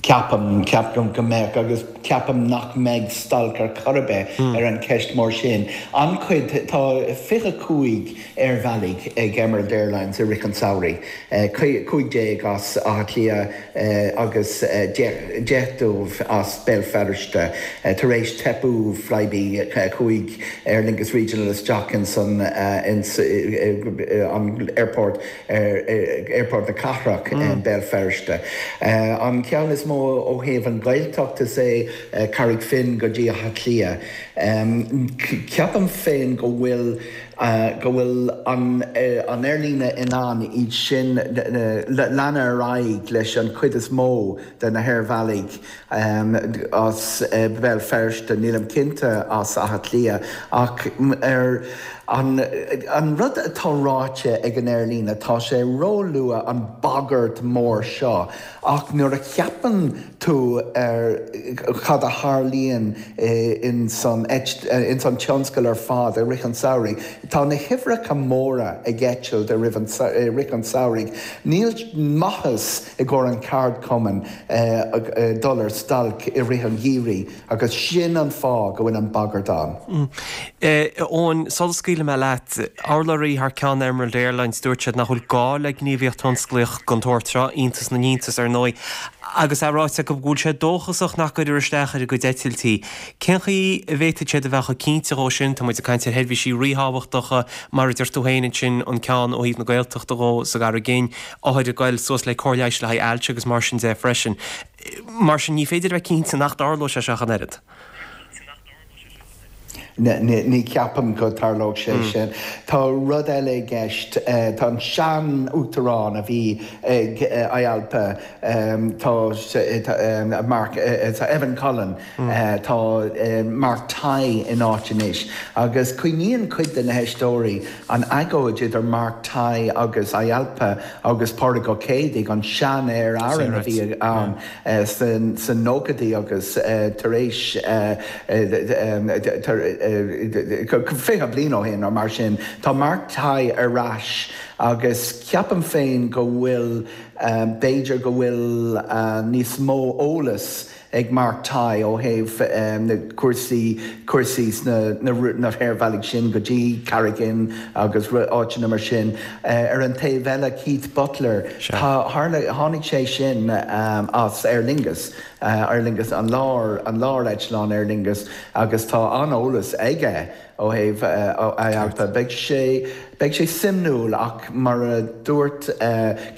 Ceapaim, ceapaim go mbeadh agus ceapaim nach mbeidh stailc ar chor ar bith ar an cheist mór sin. An-chuid, tá fiche cúig aerbhealaigh ag Emerald Airlines i rith an tsamhraidh, cúig déag as Áth Cliath agus deich, deich dóibh as Béal Feirste. Tar éis teipeadh Flybe chuaigh Aer Lingus Regional isteach ins an, ins an airport, Aerfort na Cathrach, Béal Feirste. An ceann is mó ó thaobh an Ghaeltacht is é Carraig Finn go dtí Áth Cliath. Ceapaim féin go bhfuil go bhfuil an aerlíne in ann iad sin leanadh ar aghaidh leis an chuid is mó de na haerbhealaigh as Béal Feirste, nílim cinnte as Áth Cliath ach ar An an rud atá ráite ag an aerlíne, tá sé róluath an bagairt mór seo, ach nuair a cheapann tú ar cad a tharlaíonn in san in san tionscal ar fad i rith an samhraidh, tá na huimhreacha móra ag eitilt i rith an i rith an samhraidh. Níl maitheas i gcomhair an ceardchumann dul ar stailc i rith an gheimhridh agus sin an fáth go bhfuil an bagairt ann. Eoin, sula scaoilfidh mé leat, urlabhraí thar ceann Emerald Airlines, dúirt siad nach bhfuil gá le gníomhaíocht thionsclaíoch den tsórt seo, iontas na n-iontas ar ndóigh, agus é ráite acu go bhfuil sé dóchasach nach gcuirfear isteach ar a gcuid eitiltí. Cén chaoi a bhféadfaidh siad a bheith chomh cinnte dhó sin? Tá muid ag caint ar sheirbhísí ríthábhachtacha, mar a deir tú féin ansin, an ceann ó thaobh na Gaeltachta dhó sa gCarraig Fhinn, othair ag goil suas le cóir leighis le haghaidh ailse agus mar sin de freisin. Mar sin, ní féidir a bheith cinnte nach dtarlóidh sé seo ach an oiread. Ní cheapaim go dtarlódh sé sin. Tá rud eile i gceist, tá an sean-uachtarán a bhí ag IALPA, tá Mark, Evan Cullen, tá Mark Tighe ina áit anois agus cuimhníonn cuid de na héisteoirí an agóid idir Mark Tighe agus IALPA agus Pádraig Ó Céidigh, an sean-Aer Arann a bhí ann sna nóchaidí agus tar éis fiche bliain ó shin nó mar sin. Tá Mark Tighe ar ais agus ceapaim féin go bhfuil, b'fhéidir go bhfuil níos mó eolas ag Mark Tighe ó thaobh na cúrsaí, cúrsaí sna na haerbhealaigh sin go dtí Carraig Fhinn agus áiteanna mar sin. Ar an taobh eile Keith Butler, tá, tharla, tháinig sé sin as Aer Lingus, Aer Lingus, an lár, an lár-eitleán Aer Lingus agus tá an-eolas aige ó thaobh IALPA. Beidh sé, beidh sé suimiúil ach mar a dúirt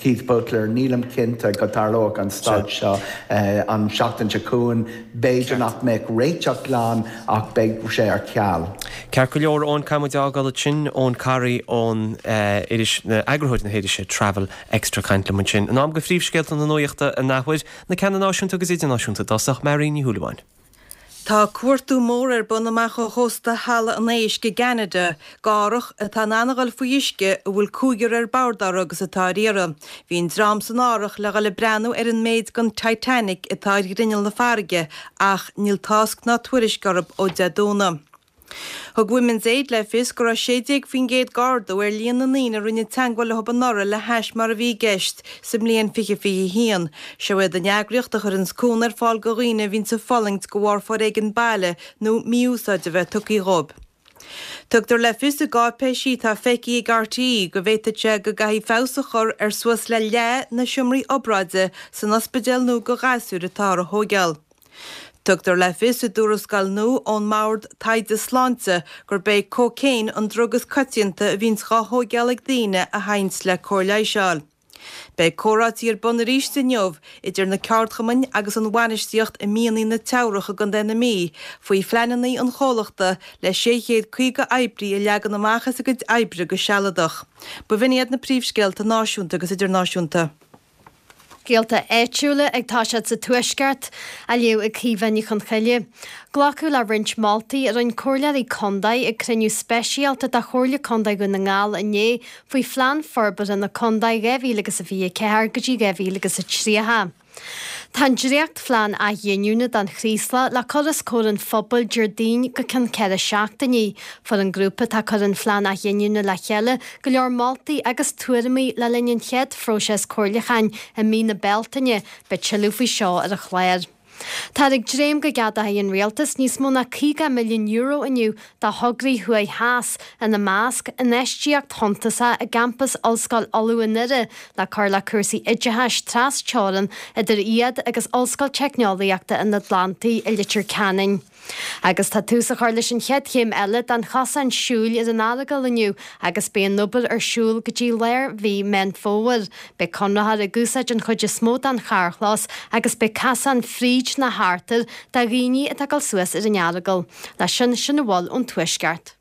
Keith Butler, nílim cinnte go dtarlóidh an stailc seo an seachtain seo chugainn. B'fhéidir nach mbeadh réiteach glan ach beidh sé ar ceal. Ceart go leor, Eoin, caithfidh muid a fhágáil ansin. Eoin Carey ón iris, eagarthóir na hirise Travel Extra ag caint liom ansin. In am do phríomhscéalta na nuachta an athuair, na ceanna náisiúnta agus idirnáisiúnta i dtosach, Máirín Ní Shúilleabháin. Tá cuartú mór ar bun amach ó chósta Halla an Éisc i gCeanada, d'árthach atá in ann a dhul faoi uisce a bhfuil cúigear ar bord orthu agus atá ar iarraidh. Bhí an dream san árthach le dhul ag breathnú ar an méid den Titanic atá ar ghrinneall na farraige ach níl tásc ná tuairisc orthu ó Dé Domhnaigh. Thug Women's Aid le fios go raibh sé déag faoin gcéad d'ardú ar líon na ndaoine a rinne teagmháil leo anuraidh le hais mar a bhí i gceist sa mbliain fiche fiche a haon. Seo iad an eagraíocht a chuireanns cúnamh ar fáil do dhaoine a bhíonns ag fulaingt de bharr foréigean baile nó mí-úsáid a bheith tugtha dhóibh. Tugtar le fios i gcáipéisí atá feicthe ag RTÉ go bhféadfadh sé go gcaithfí feabhas a chur ar suas le leath na seomraí obráide san ospidéal nua do ghasúir atáthar a thóigeáil. Tugtar le fios i dtuarascáil nua ón mBord Taighde Sláinte gurb é cócaon an drug is coitianta a bhíonns dhá thóigeáil ag daoine a théanns le cóir leighis a fháil. Beidh comhráití ar bun arís inniu idir na ceardchumainn agus an bhainistíocht i Mianaigh na Teamhrach i gContae na Mí faoi phleananna an chomhlachta le sé chéad caoga oibrí a leagan amach as a gcuid oibre go sealadach. B'in iad na príomhscéalta náisiúnta agus idirnáisiúnta. Scéalta áitiúla ag toiseacht sa Tuaisceart, á léamh ag Caoimhe Ní Chonchoille. Glacadh le roinnt moltaí a rinne comhairleoirí contae ag cruinniú speisialta de Chomhairle Contae Dhún na nGall inné faoi Phlean Forbartha na Contae dhá mhíle agus a fiche a ceathair go dtí dhá mhíle agus a tríocha. Tá an dréachtphlean athghiniúna don Chraoslach le cur os comhair an phobail Déardaoin go ceann ceithre seachtainí. Fuair an grúpa atá ag cur an phlean athghiniúna le chéile go leor moltaí agus tuairimí le linn an chéad phróiseas comhairliúcháin i mí na Bealtaine. Beidh tuilleadh faoi seo ar an chlár. Táthar ag dréim go gceadóidh an Rialtas níos mó ná caoga milliún euro inniu do thograí thuaidh theas, ina measc, infheistíocht shuntasach i gcampas Ollscoil Uladh i nDoire le cur le cúrsaí oideachais tras teorann idir iad agus Ollscoil Teicneolaíochta an Atlantaigh i Leitir Ceanainn. Agus tá tús á chur leis an chéad chéim eile den chosán siúil ar an Earagail inniu agus beidh an obair ar siúl go dtí lár mhí Meán Fómhair. Beidh conraitheoir ag úsáid an chuid is mó den charrchlós agus beidh casán fríd na hartair do dhaoine atá ag dul suas ar an Earagail. Leis sin, sin a bhfuil ón Tuaisceart.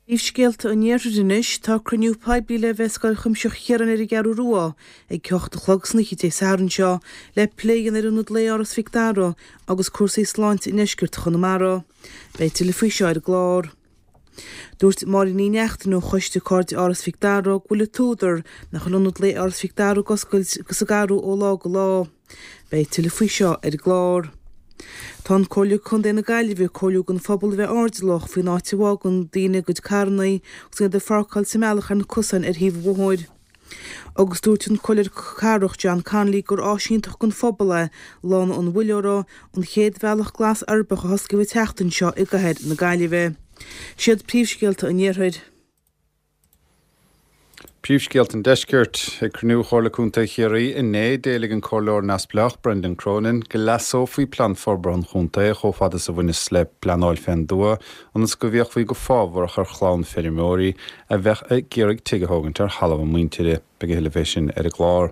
Príomhscéalta an Iarthair anois, tá cruinniú poiblí le bheith i Scoil Chuimsitheach Chiaráin ar an gCeathrú Rua ag a hocht a chlog san oíche Dé Sathairn seo le plé a dhéanamh ar Ionad Lae Áras Mhic Dara agus cúrsaí sláinte i ndeisceart Chonamara. Beidh tuilleadh faoi seo ar an gclár. Dúirt Máirín Ní Neachtain ó Choiste Cairde Áras Mhic Dara go bhfuil an t-údar nach bhfuil Ionad Lae Áras Mhic Dara ag oscailt sa gCarú ó lá go lá. Beidh tuilleadh faoi seo ar an gclár. Tá an Comhairle Contae na Gaillimhe ag comhairliú don phobal a bheith airdeallach faoin áit a bhfágann daoine a gcuid carranna agus iad ag pháirceáil sa mbealach ar na cosáin ar thaobh an bhóthair. Agus dúirt an Comhairleoir Cathrach John Connolly gur áis iontach don phobal é Lána an Mhuilleora, an chéad bhealach glas uirbeach a hosclaíodh an tseachtain seo i gcathair na Gaillimhe. Siad príomhscéalta an Iarthair. Príomhscéalta an Deiscirt. Ag cruinniú Chomhairle Contae Chiarraí inné, d'éiligh an Comhairleoir Neamhspleách Brendan Cronin go leasófaí Plean Forbartha an Chontae chomh fada is a bhaineas le pleanáil fén dtuath ionas go bhféachfaí go fábharach ar chlann feirmeoirí a bheadh ag iarraidh tigh a thógaint ar thalamh a muintire. Beidh a thuilleadh fé sin ar an gclár.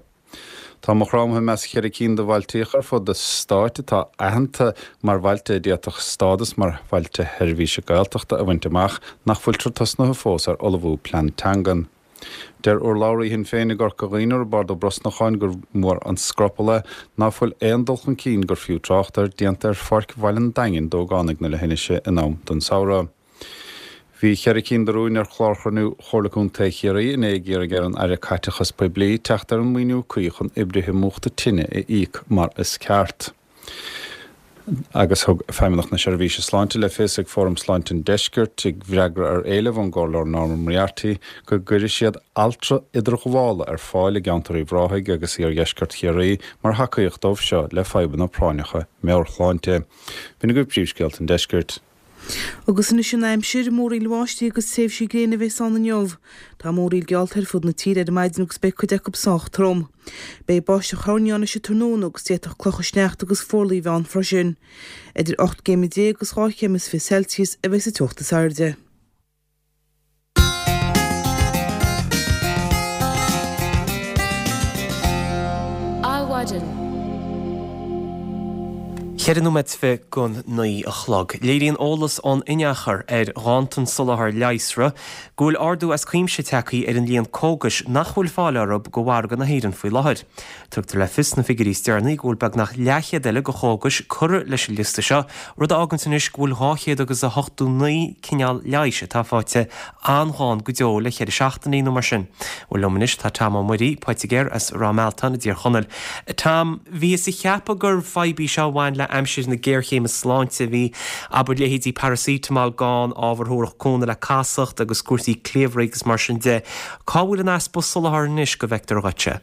Tá Maigh Chromtha i measc cheithre cinn de bhailtíocha ar fud an stáit atá aitheanta mar bhailte a d'fhéadfadh stádas mar Bhailte Sheirbhíse Gaeltachta a bhaint amach nach bhfuiltear tosnaithe fós ar ullmhú plean teangan. Deir urlabhraí Shinn Féin i gCorca Dhuibhne, Roibeárd Ó Brosnacháin, gur mór an scrupall é ná fuil aon dul chun cinn gur fiú trácht air déanta ar Pháirc Bhaile an Daingin d'ógánaigh na leithinise in am don samhradh. Bhí ceithre cinn de rúin ar chlár chruinniú Chomhairle Contae Chiarraí inné ag iarraidh ar an Aire Caiteachas Poiblí teacht ar an maoiniú cuí chun oibrithe múchta tine a íoc mar is ceart. Agus thug Feidhmeannacht na Seirbhíse Sláinte le fios ag Fóram Sláinte an Deiscirt, i bhfreagra ar éileamh ón gComhairleoir Norma Moriarty, go gcuirfidh siad altra idirghabhála ar fáil i gceantar Uíbh Ráthaigh agus iardheisceart Chiarraí mar thacaíocht dóibh seo le fadhbanna práinneacha meabhairshláinte. B'in agaibh príomhscéalta an deiscirt. Agus anois an aimsir, múraíl bháistí agus tréimhsí gréine a bheas ann inniu. Tá múraíl geallta ar fud na tíre ar maidin agus beidh cuid acu sách trom. Beidh báisteach thoirní ann anois an tráthnóna agus d'fhéadfadh clocha sneachta agus fuarlaigh a bheith ann freisin. Idir ocht gcéim déag agus dhá chéim is fiche Celsius a bheas an teocht is airde. Adhmhaidin. Ceithre nóiméad is fiche don naoi a chlog. Léiríonn eolas ón inneachar ar ghanntan soláthair leigheasra go bhfuil ardú as cuimse tagtha ar an líon cógais nach bhfuil fáil orthu go mhargadh na hÉireann faoi láthair. Tugtar le fios sna figiúirí is deireanaí go bhfuil beagnach leathchéad eile de chógais curtha leis an liosta seo, rud a fháganns anois go bhfuil dhá chéad agus a hochtó naoi cineál leighis atá faighte an-ghann go deo le ceithre seachtainí nó mar sin. Bhuel liom anois tá Tom Ó Muirí, poitigéir as Ráth Mealtain i dTír Chonaill. Tom, bhíothas ag ceapadh gur fadhb í seo a bhain le aimsir na géarchéime sláinte, bhí, abair, leithéidí paracetamol gann, ábhar a thabharfadh cúnamh le casacht agus cúrsaí cliabhraigh agus mar sin de. Cá bhfuil an easpa soláthair anois go bhfeictear dhuitse?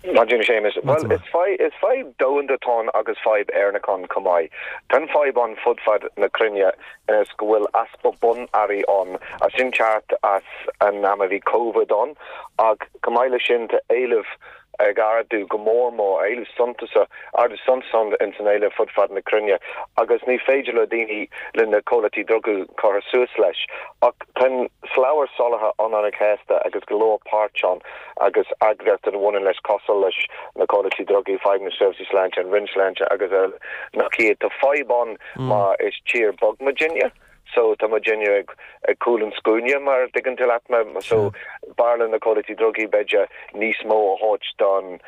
Maidin Séamus. Bhuel, is fadhb, is fadhb domhanda atá ann agus fadhb Éireannach ann chomh maith. Tá an fadhb ann fud fad na cruinne is go bhfuil easpa bun-earraí ann, as sin teacht as an am a bhí Covid ann ach chomh maith leis sin tá éileamh ag ardú go mór mór, éileamh suntasach, ardú suntasach ins an éileamh fud fad na cruinne agus ní féidir le daoine, le na comhlachtaí drugaí cur suas leis. Ach tá an slabhra soláthair an-an-chasta agus go leor páirt ann agus eagraíochtaí a bhaineann leis cosúil leis na comhlachtaí drugaí, Feidhmeannas na Seirbhísí Sláinte, an Roinn Sláinte agus eile nach iad. Tá fadhb ann mar is tír beag muidinne. So tá muidinne ag ag cúl an scuaine mar a dtuigeann tú leat mé. So b'fhearr le na comhlachtaí drugaí b'fhéidir níos mó a thabhairt don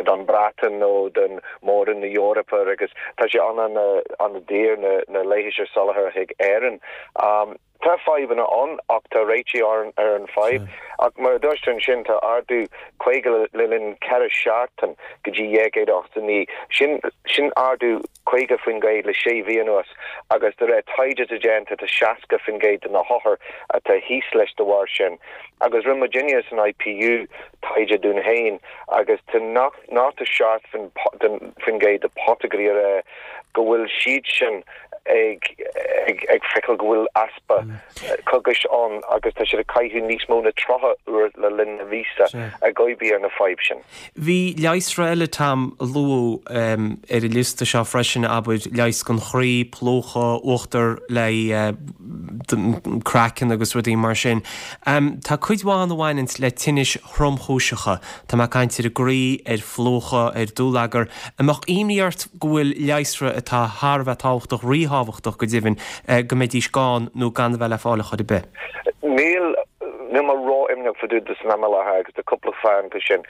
don Bhreatain nó don Mór-Roinn na Eorpa agus tá sé an an an-daor na na leigheas a soláthar chuig Éirinn. Um, tá fadhbanna ann ach tá réitigh ar ar an fadhb. Ach mar a dúirt tú ansin tá ardú caoga le le linn ceithre seachtain go dtí dhá chéad ochtó naoi. Sin sin ardú caoga faoin gcéad le sé mhí anuas agus de réir taighde atá déanta tá seasca faoin gcéad de na hothair atá thíos leis de bharr sin. Agus rinne muidinne san IPU taighde dúinn féin agus tá nócha seacht faoin gcéad de poitigéirí ag rá go bhfuil siad sin ag ag ag feiceáil go bhfuil easpa cógais ann agus tá siad ag caitheamh níos mó na tríocha uair le linn na míosa ag oibriú ar na fadhb sin. Bhí leigheasra eile, Tom, a luadh ar an liosta seo freisin, abair, leigheas don chroí, plúchadh, uachtar le craiceann agus rudaí mar sin. Tá cuid mhaith ann a bhaineanns le tinnis thromchúiseacha. Tá mé ag caint ar an gcroí, ar phlúchadh, ar dúlagar. An mbeadh imní ort go bhfuil leigheasra atá thar a bheith tábhachtach, ríthábhachtach go deimhin, go mbeidís gann nó gan a bheith le fáil ar chor ar bith? Níl, níl mé ró-imníoch rud fá dtaobh de san am i láthair agus tá cúpla fáth acu sin.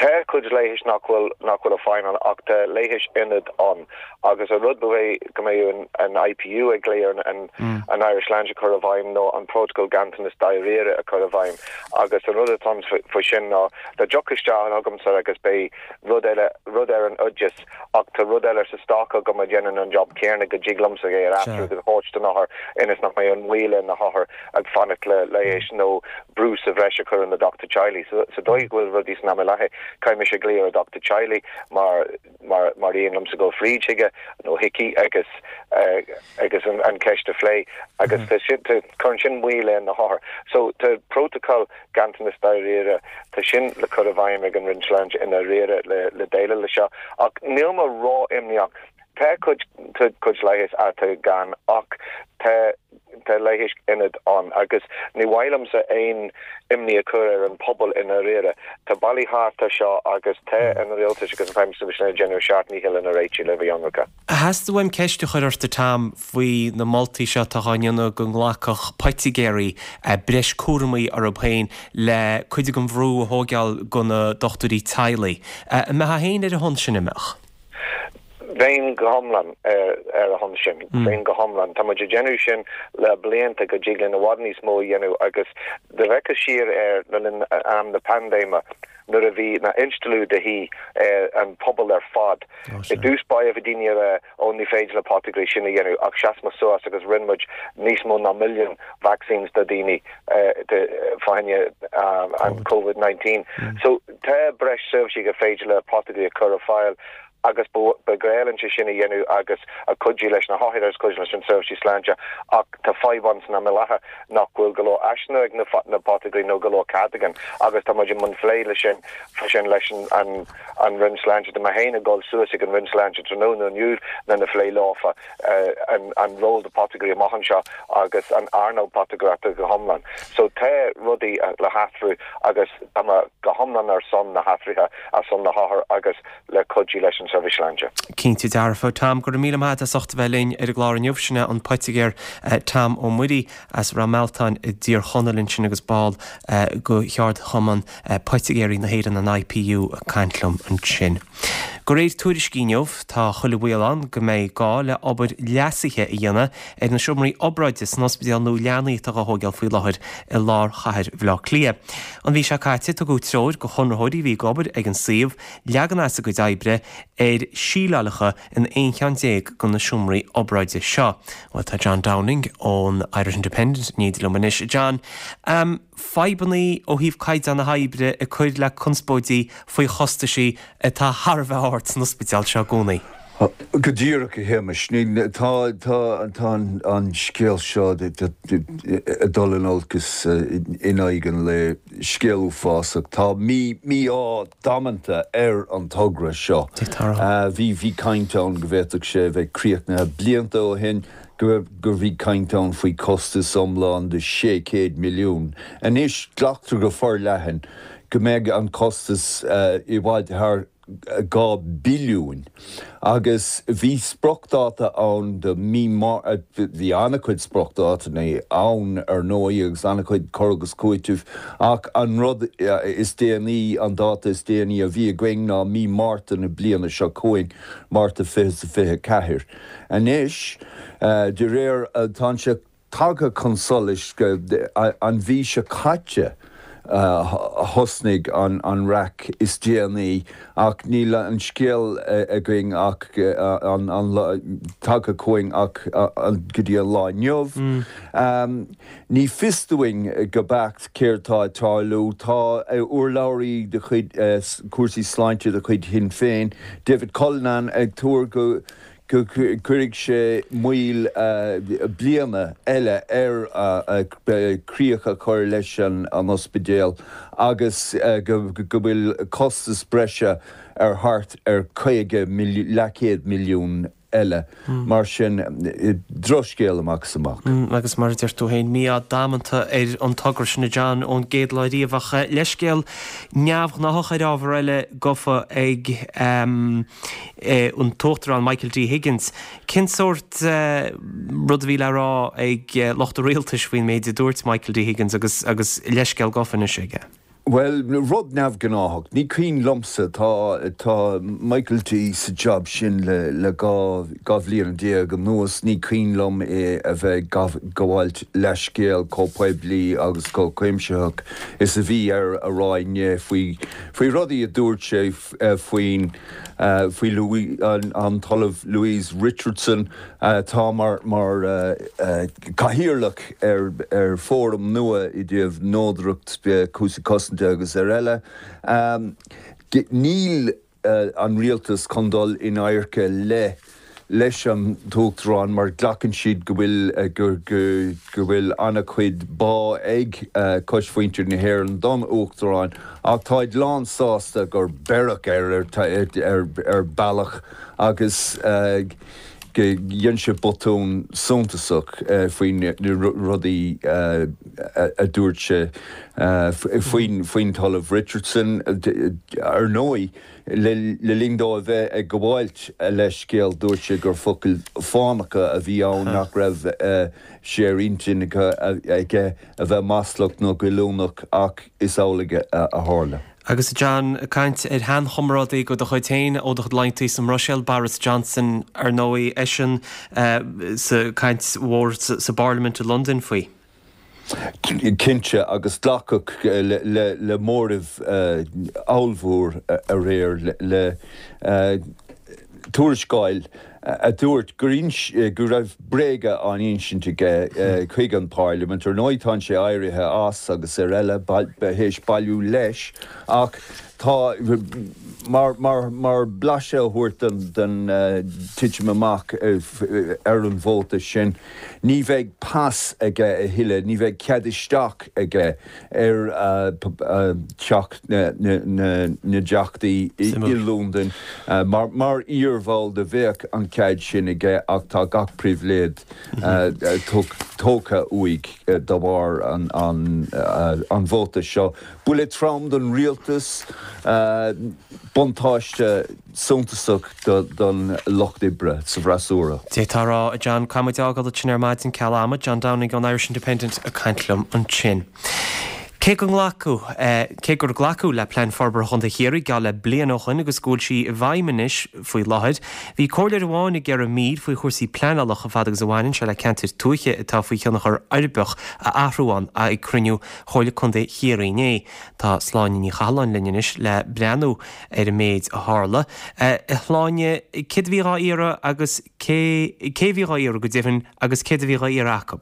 Tá cuid leighis nach bhfuil nach bhfuil ag feidhmiú ach tá leighis ionad ann agus an rud ba mhaith go mbeidh an an IPU ag glao ar an an Irish Sláinte a chur i bhfeidhm nó an protocol ganntanas dáiríre a chur i bhfeidhm agus an rud atá ann faoi sin ná dá dtiocfá isteach chugamsa agus beidh rud eile rud ar an oideas ach tá rud eile sa stoc agam a dhéanann an job céanna go dtig liomsa é a aistriú go háit don othar ionas nach mbeidh an moill ar na hothair ag fanacht le leigheas nó brú sa bhreis a chur ar na dochtúirí teaghlaigh. So sa dóigh go bhfuil rudaí san am i láthair, caithfidh mise glaoch ar dochtúir teaghlaigh mar mar mar aon liomsa dul fríd chuige nó chuici agus agus an an ceist a phlé agus tá sin tá cuireann sin moill ar na hothair. So tá protocol ganntanas dáiríre, tá sin le cur i bhfeidhm ag an Roinn Sláinte i ndáiríre le le déileáil le seo ach níl mé ró-imníoch. Tá cuid tá cuid leighis atá gann ach tá tá leighis ionad ann agus ní mhaith liomsa aon imní a chur ar an pobal i ndáiríre. Tá bealaí thart ar seo agus tá an rialtas agus an Feidhmeannas ag déanamh a seacht ndícheall lena réiteach le bheith ionraice. Theastaigh uaim ceist a chur ort a Tom faoi na moltaí seo atá á ndéanamh go nglacfadh poitigéirí breis cúramaí orthu féin le cuid den bhrú a thógáil go na dochtúirí teaghlaigh. An mbeifeá féin ar a shon sin, an mbeadh? Bheinn go hiomlán ar a shon sin. Bheinn go hiomlán. Tá muid ag déanamh sin le blianta go dtig linn i bhfad níos mó a dhéanamh agus dá bhfeicfeá siar ar le linn am na paindéime nuair a bhí na instealladh de dhíth ar an pobal ar fad. I dtús báire bhí daoine ag rá ó ní féidir le poitigéirí sin a dhéanamh ach sheas muid suas agus rinne muid níos mó ná milliún vaccines do dhaoine fá choinne an Covid nineteen. So tá breis seirbhísí gur féidir le poitigéirí a chur ar fáil agus ba ghnách linn sé sin a dhéanamh agus a cuidiú leis na hothair agus cuidiú leis an seirbhísí sláinte ach tá fadhb ann san am i láthair nach bhfuil go leor áiseanna ag na poitigéirí nó go leor cead againn agus tá muid i mbun phlé le sin fá sin leis an an Roinn Sláinte. Tá mé féin ag dul suas ag an Roinn Sláinte tráthnóna inniu lena phlé leofa an an ról do poitigéirí amach anseo agus an earnáil poitigéireachta go hiomlán. So tá rudaí le hathrú agus tá mé go hiomlán ar son na hathruithe ar son na hothar agus le cuidiú leis an seirbhís sláinte. Cinnte dearfa. Tom, go raibh míle maith agat as ucht a bheith linn ar an gclár inniu. Sin é an poitigéir Tom Ó Muirí as Ráth Mealtain i dTír Chonaill ansin agus ball de Cheardchumann Poitigéirí na hÉireann, an IPU, ag caint liom ansin. De réir tuairiscí inniu, tá chuile bhaol ann go mbeidh gá le obair leasaithe a dhéanamh ar na seomraí obráide san ospidéal nua leanaí atá á thógáil faoi láthair i lár chathair Bhaile Átha Cliath. An mhí seo caite, tugadh treoir do chonraitheoirí a bhí ag obair ag an suíomh leagan as a gcuid oibre ar síleálacha in aon cheann déag de na seomraí obráide seo. Bhuel, tá John Downing ón Irish Independent in éindí liom anois. John, fadhbanna ó thaobh caighdeán na hoibre ag cur le conspóidí faoi chostaisí atá thar a bheith ard san ospidéal seo i gcónaí. Go díreach, a Shéamais. Tá tá an scéal seo ag dul in olcas in aghaidh an lae, scéal uafásach. Tá mí-ádh damanta ar an togra seo. Bhí bhí caint ann go bhféadfadh sé a bheith críochnaithe blianta ó shin, go gur bhí caint ann faoi costas iomlán de sé chéad milliún. Anois glactar go forleathan go mbeidh an costas i bhfad thar dhá billiún agus bhí spriocdháta ann do mí bhí an-chuid spriocdhátaí ann ar ndóigh agus an-chuid cur agus cúiteamh ach an rud is déanaí an dáta is déanaí a bhí againn ná mí Márta na bliana seo chugainn, Márta fiche is a fiche ceathair. Anois de réir tá sé tagtha chun solais go an mhí seo caite thosnaigh an raic is déanaí ach níl an scéal againn ach tagtha chugainn ach go dtí an lá inniu. Ní fios dúinn go beacht céard tá ag tarlú. Tá urlabhraí de chuid cúrsaí sláinte de chuid Shinn Féin, David Cullinane, ag tuar go go gcuirfidh sé moill bliana eile ar críoch a chur leis an ospidéal agus go bhfuil costas breise ar thart ar caoga leathchéad milliún eile. Mar sin, drochscéal amach is amach. Agus mar a deir tú féin, mí-ádh damanta ar an togra sin, a John, ón gcéad lá riamh. Ach leithscéal neamhghnáthach ar ábhar eile gofa ag an tUachtarán Michael D Higgins. Cén sórt rud a bhí le rá ag lucht an rialtais faoin méid a dúirt Michael D Higgins agus agus leithscéal gofa anois aige? Bhuel, rud neamhghnáthach. Ní cuimhin liomsa, tá tá Michael D sa job sin le le dhá dhá bhliain déag anuas, ní cuimhin liom é a bheith ag gabháilt leithscéal chomh poiblí agus chomh cuimsitheach is a bhí air a rá inné faoi faoi rudaí a dúirt sé faoin faoi Louis an an tOllamh Louise Richardson atá mar mar cathaoirleach ar ar fóram nua i dtaobh neodracht, cúrsaí cosanta agus ar eile. Níl an rialtas chun dul in adharca le leis an tUachtarán mar glacann siad go bhfuil go go bhfuil an-chuid bá ag coismhuintir na hÉireann don Uachtarán ach táid lán sásta gur beireadh air ar ar bealach agus go dhein sé botún suntasach faoi na rudaí a dúirt sé faoin faoin tOllamh Richardson. Ar ndóigh, le linn dó a bheith ag gabháilt a leithscéil, dúirt sé gur focail fánacha a bhí ann, nach raibh sé ar intinn aige a bheith maslach nó goilliúnach ach is amhlaidh a tharla. Agus John, ag caint ar sheanchomrádaí de do chuid féin ó do chuid laethanta sa mBruiséil, Boris Johnson, ar ndóigh, eisean sa chaint mhór sa bParlaimint i Londain faoi. Cinnte, agus glacadh le móramh ollmhór aréir le tuarascáil a dúirt go raibh bréaga á n-insint aige chuig an bParlaimint. Ar ndóigh tá sé éirithe as agus ar eile théis bailiú leis ach tá, mar mar blaiseadh a thabhairt den titim amach ar an vóta sin, ní bheidh pas aige a thuilleadh, ní bheidh cead isteach aige ar Theach na dTeachtaí i Londain. Mar iarbhall de bheadh an cead sin aige ach tá gach pribhléid tógtha uaidh de bharr an vóta seo. Buille trom don rialtas, buntáiste suntasach don lucht oibre sa bhfreasúra. D'fhéadfá a rá, a John, caithfidh muid a fhágáil ansin ar maidin ceal ama, John Downing ón Irish Independent ag caint liom ansin. Cé go nglacadh, cé gur glacadh le Plean Forbartha Chontae Chiarraí geall le bliain ó shoin agus go bhfuil sí i bhfeidhm anois faoi láthair, bhí comhairleoir amháin ag iarraidh mír faoi chúrsaí pleanála chomh fada agus a bhaineann sé le ceantair tuaithe atá faoi thionchar uirbeach a athrú ann ag cruinniú Chomhairle Contae Chiarraí inné. Tá Sláine Ní Chathalláin linn anois le breathnú ar an méid a tharla. A Shláine, céard a bhí dhá iarraidh agus cé cé a bhí dhá iarraidh go deimhin agus céard a bhí dhá iarraidh acu?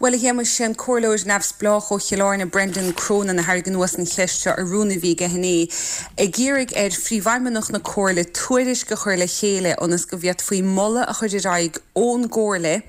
Bhuel, a Shéamais, sé an Comhairleoir Neamhspleách ó Chill Airne, Brendan Cronin, a tharraing anuas an cheist seo i rún a bhí aige inné, ag iarraidh ar Phríomhfheidhmeannach na Comhairle tuairisc a chur le chéile ionas go bhféadfaí moladh a chur ar aghaidh ón gComhairle,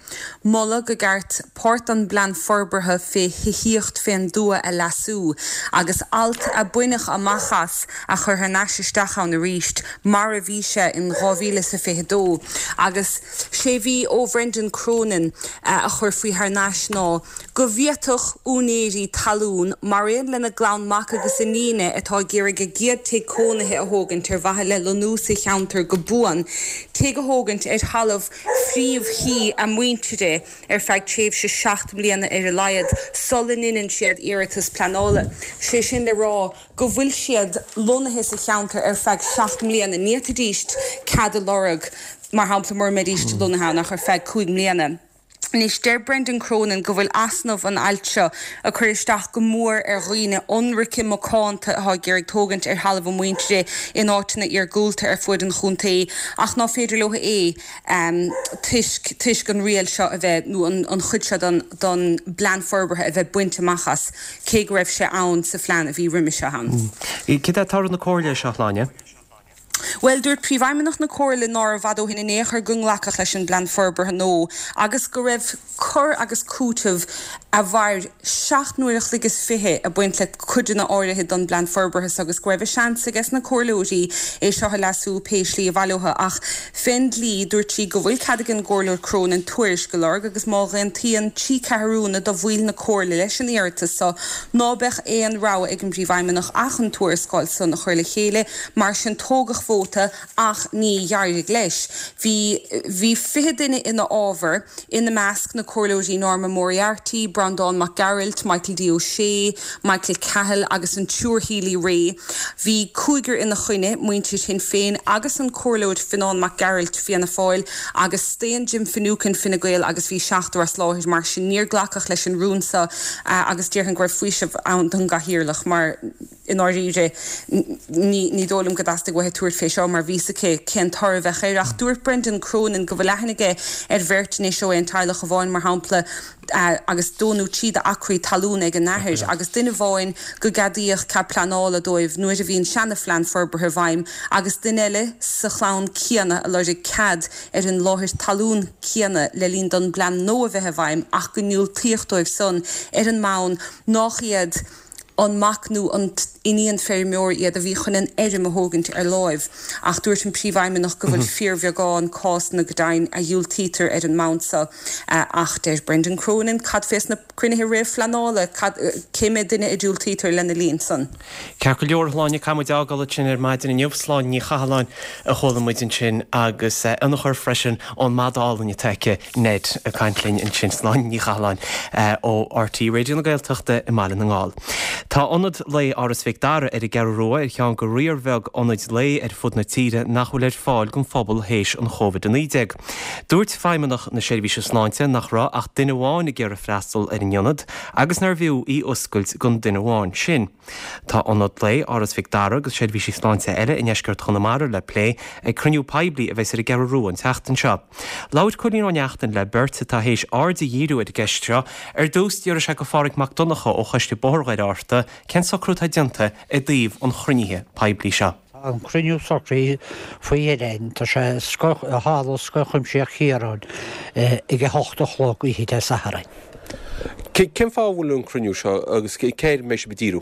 moladh go gceart páirt den bplean forbartha fé thithíocht fén dtuath a leasú agus alt a baineadh amach as a chur thar n-ais isteach ann arís mar a bhí sé in dhá mhíle is a fiche dó. Agus sé bhí ó Bhrendan Cronin a chur faoi thar n-ais ná go bhféadfadh úinéirí talún, mar aon lena gclann mac agus iníne atá ag iarraidh a gcéad tigh cónaithe a thógaint ar mhaithe le lonnú sa cheantar go buan, tigh a thógaint ar thalamh phríomh-thí a muintire ar feadh tréimhse seacht mbliana ar a laghad sula ndeineann siad iarratas pleanála. Sé sin le rá go bhfuil siad lonnaithe sa cheantar ar feadh seacht mbliana. Ní fhéadfaidís cead a lorg, mar shampla, mura mbeidís lonnaithe ann ach ar feadh cúig mbliana. Anois, deir Brendan Cronin go bhfuil easnamh an ailt seo ag cur isteach go mór ar dhaoine ionraice macánta atá ag iarraidh tógaint ar thalamh a muintire in áiteanna iargúlta ar fuaid an chontae ach ná féidir leo é toisc toisc an riail seo a bheith nó an chuid seo den den bplean forbartha a bheith bainte amach as cé go raibh sé ann sa phlean a bhí roimhe seo ann. Céard é toradh na comhairle seo, a Shláine? Bhuel, dúirt Príomhfheidhmeannach na Comhairle nárbh fhada ó shin in aon chor go nglacfadh leis an bplean forbartha nua agus go raibh cur agus cúiteamh a mhair seacht n-uair a chloig is fiche ag baint le codanna áirithe don bplean forbartha so agus go raibh a seans ages na comhairleoirí é seo a leasú pé slí a mhaith leo. Ach fén dlí, dúirt sí go bhfuil cead ag an gComhairleoir Cronin tuairisc a lorg agus má aontaíonn trí ceathrúna de bhaill na Comhairle leis an iarratas so ná beadh aon rogha ag an bPríomhfheidhmeannach ach an tuarascáil san a chur le chéile. Mar sin tógadh vóta ach ní d'éirigh leis. Bhí bhí fiche duine ina fhábhar, ina measc na Comhairleoirí Norma Moriarty, Breandán Mac Gearailt, Michael D O'Shea, Michael Cahill agus an tSiúr Healy-Rae. Bhí cúigear ina choinne, muintir Shinn Féin agus an Comhairleoir Fionán Mac Gearailt, Fianna Fáil, agus staon Jim Finucane, Fine Gael, agus bhí seachtar as láthair. Mar sin níor glacadh leis an rún seo agus déarfainn go raibh faoiseamh ann don gCathaoirleach mar i ndáiríre ní dóigh liom go dteastaigh uaithi tabhairt fé seo mar bhí a fhios aici cén toradh a bheadh air. Ach dúirt Brendan Cronin go bhfuil aithne aige ar bheirt anois ó aon teaghlach amháin, mar shampla, agus dó nó trí d'acraí talún ag a n-athair, agus duine amháin go gceadaíodh cead pleanála dóibh nuair a bhí an seana-phlean forbartha i bhfeidhm, agus duine eile sa chlann céanna a lorg cead ar an láthair talún céanna le linn don bplean nua a bheith i bhfeidhm ach go ndiúltaíodh dóibh san ar an mbonn nách iad an mac nó an iníon feirmeoir iad a bhí chun an fheirm a thógaint ar láimh. Ach dúirt an Príomhfheidhmeannach go bhfuil fíorbheagán cásanna go deimhin a dhiúltaítear ar an mbonn seo. Ach deir Brendan Cronin, cad fés na cruinnithe réamhphleanála, cad, cé mhéad duine a diúltaítear lena linn san? Ceart go leor, a Shláine, caithfidh muid fhágáil ansin ar maidin inniu. Sláine Ní Chathalláin a chuala muid ansin agus ionchur freisin ón mada álainn atá aici, Ned, ag caint linn ansin. Sláine Ní Chathalláin ó RTÉ Raidió na Gaeltachta i mBaile na nGall. Tá Ionad Lae Áras Mhic Dara ar an gCeathrú Rua ar cheann de riar bheag ionaid lae ar fud na tíre nach bhfuil ar fáil don phobal théis an Chóivid a naoi déag. Dúirt Feidhmeannach na Seirbhíse Sláinte nach raibh ach duine amháin ag iarraidh freastal ar an ionad agus nárbh fhiú í oscailt don duine amháin sin. Tá Ionad Lae Áras Mhic Dara agus seirbhísí sláinte eile i ndeisceart Chonamara le plé ag cruinniú poiblí a bheas ar an gCeathrú Rua an tseachtain seo. Labhair Cóilín Ó Neachtain le beirt atá théis aird a dhíriú ar an gceist seo. Ar dtús, d'fhiafraigh sé de Phádhraic Mac Donncha ó Choiste Bóthar Dhoire Fhatharta cén socrú atá déanta i dtaobh an chruinnithe poiblí seo. Tá an cruinniú socraithe faoi dheireadh. Tá sé i Halla Scoil Chuimsitheach Chiaráin ag a hocht a chlog oíche Dé Sathairn. Cén fáth a bhfuil an cruinniú seo agus cé air a mbeidh sibh ag díriú?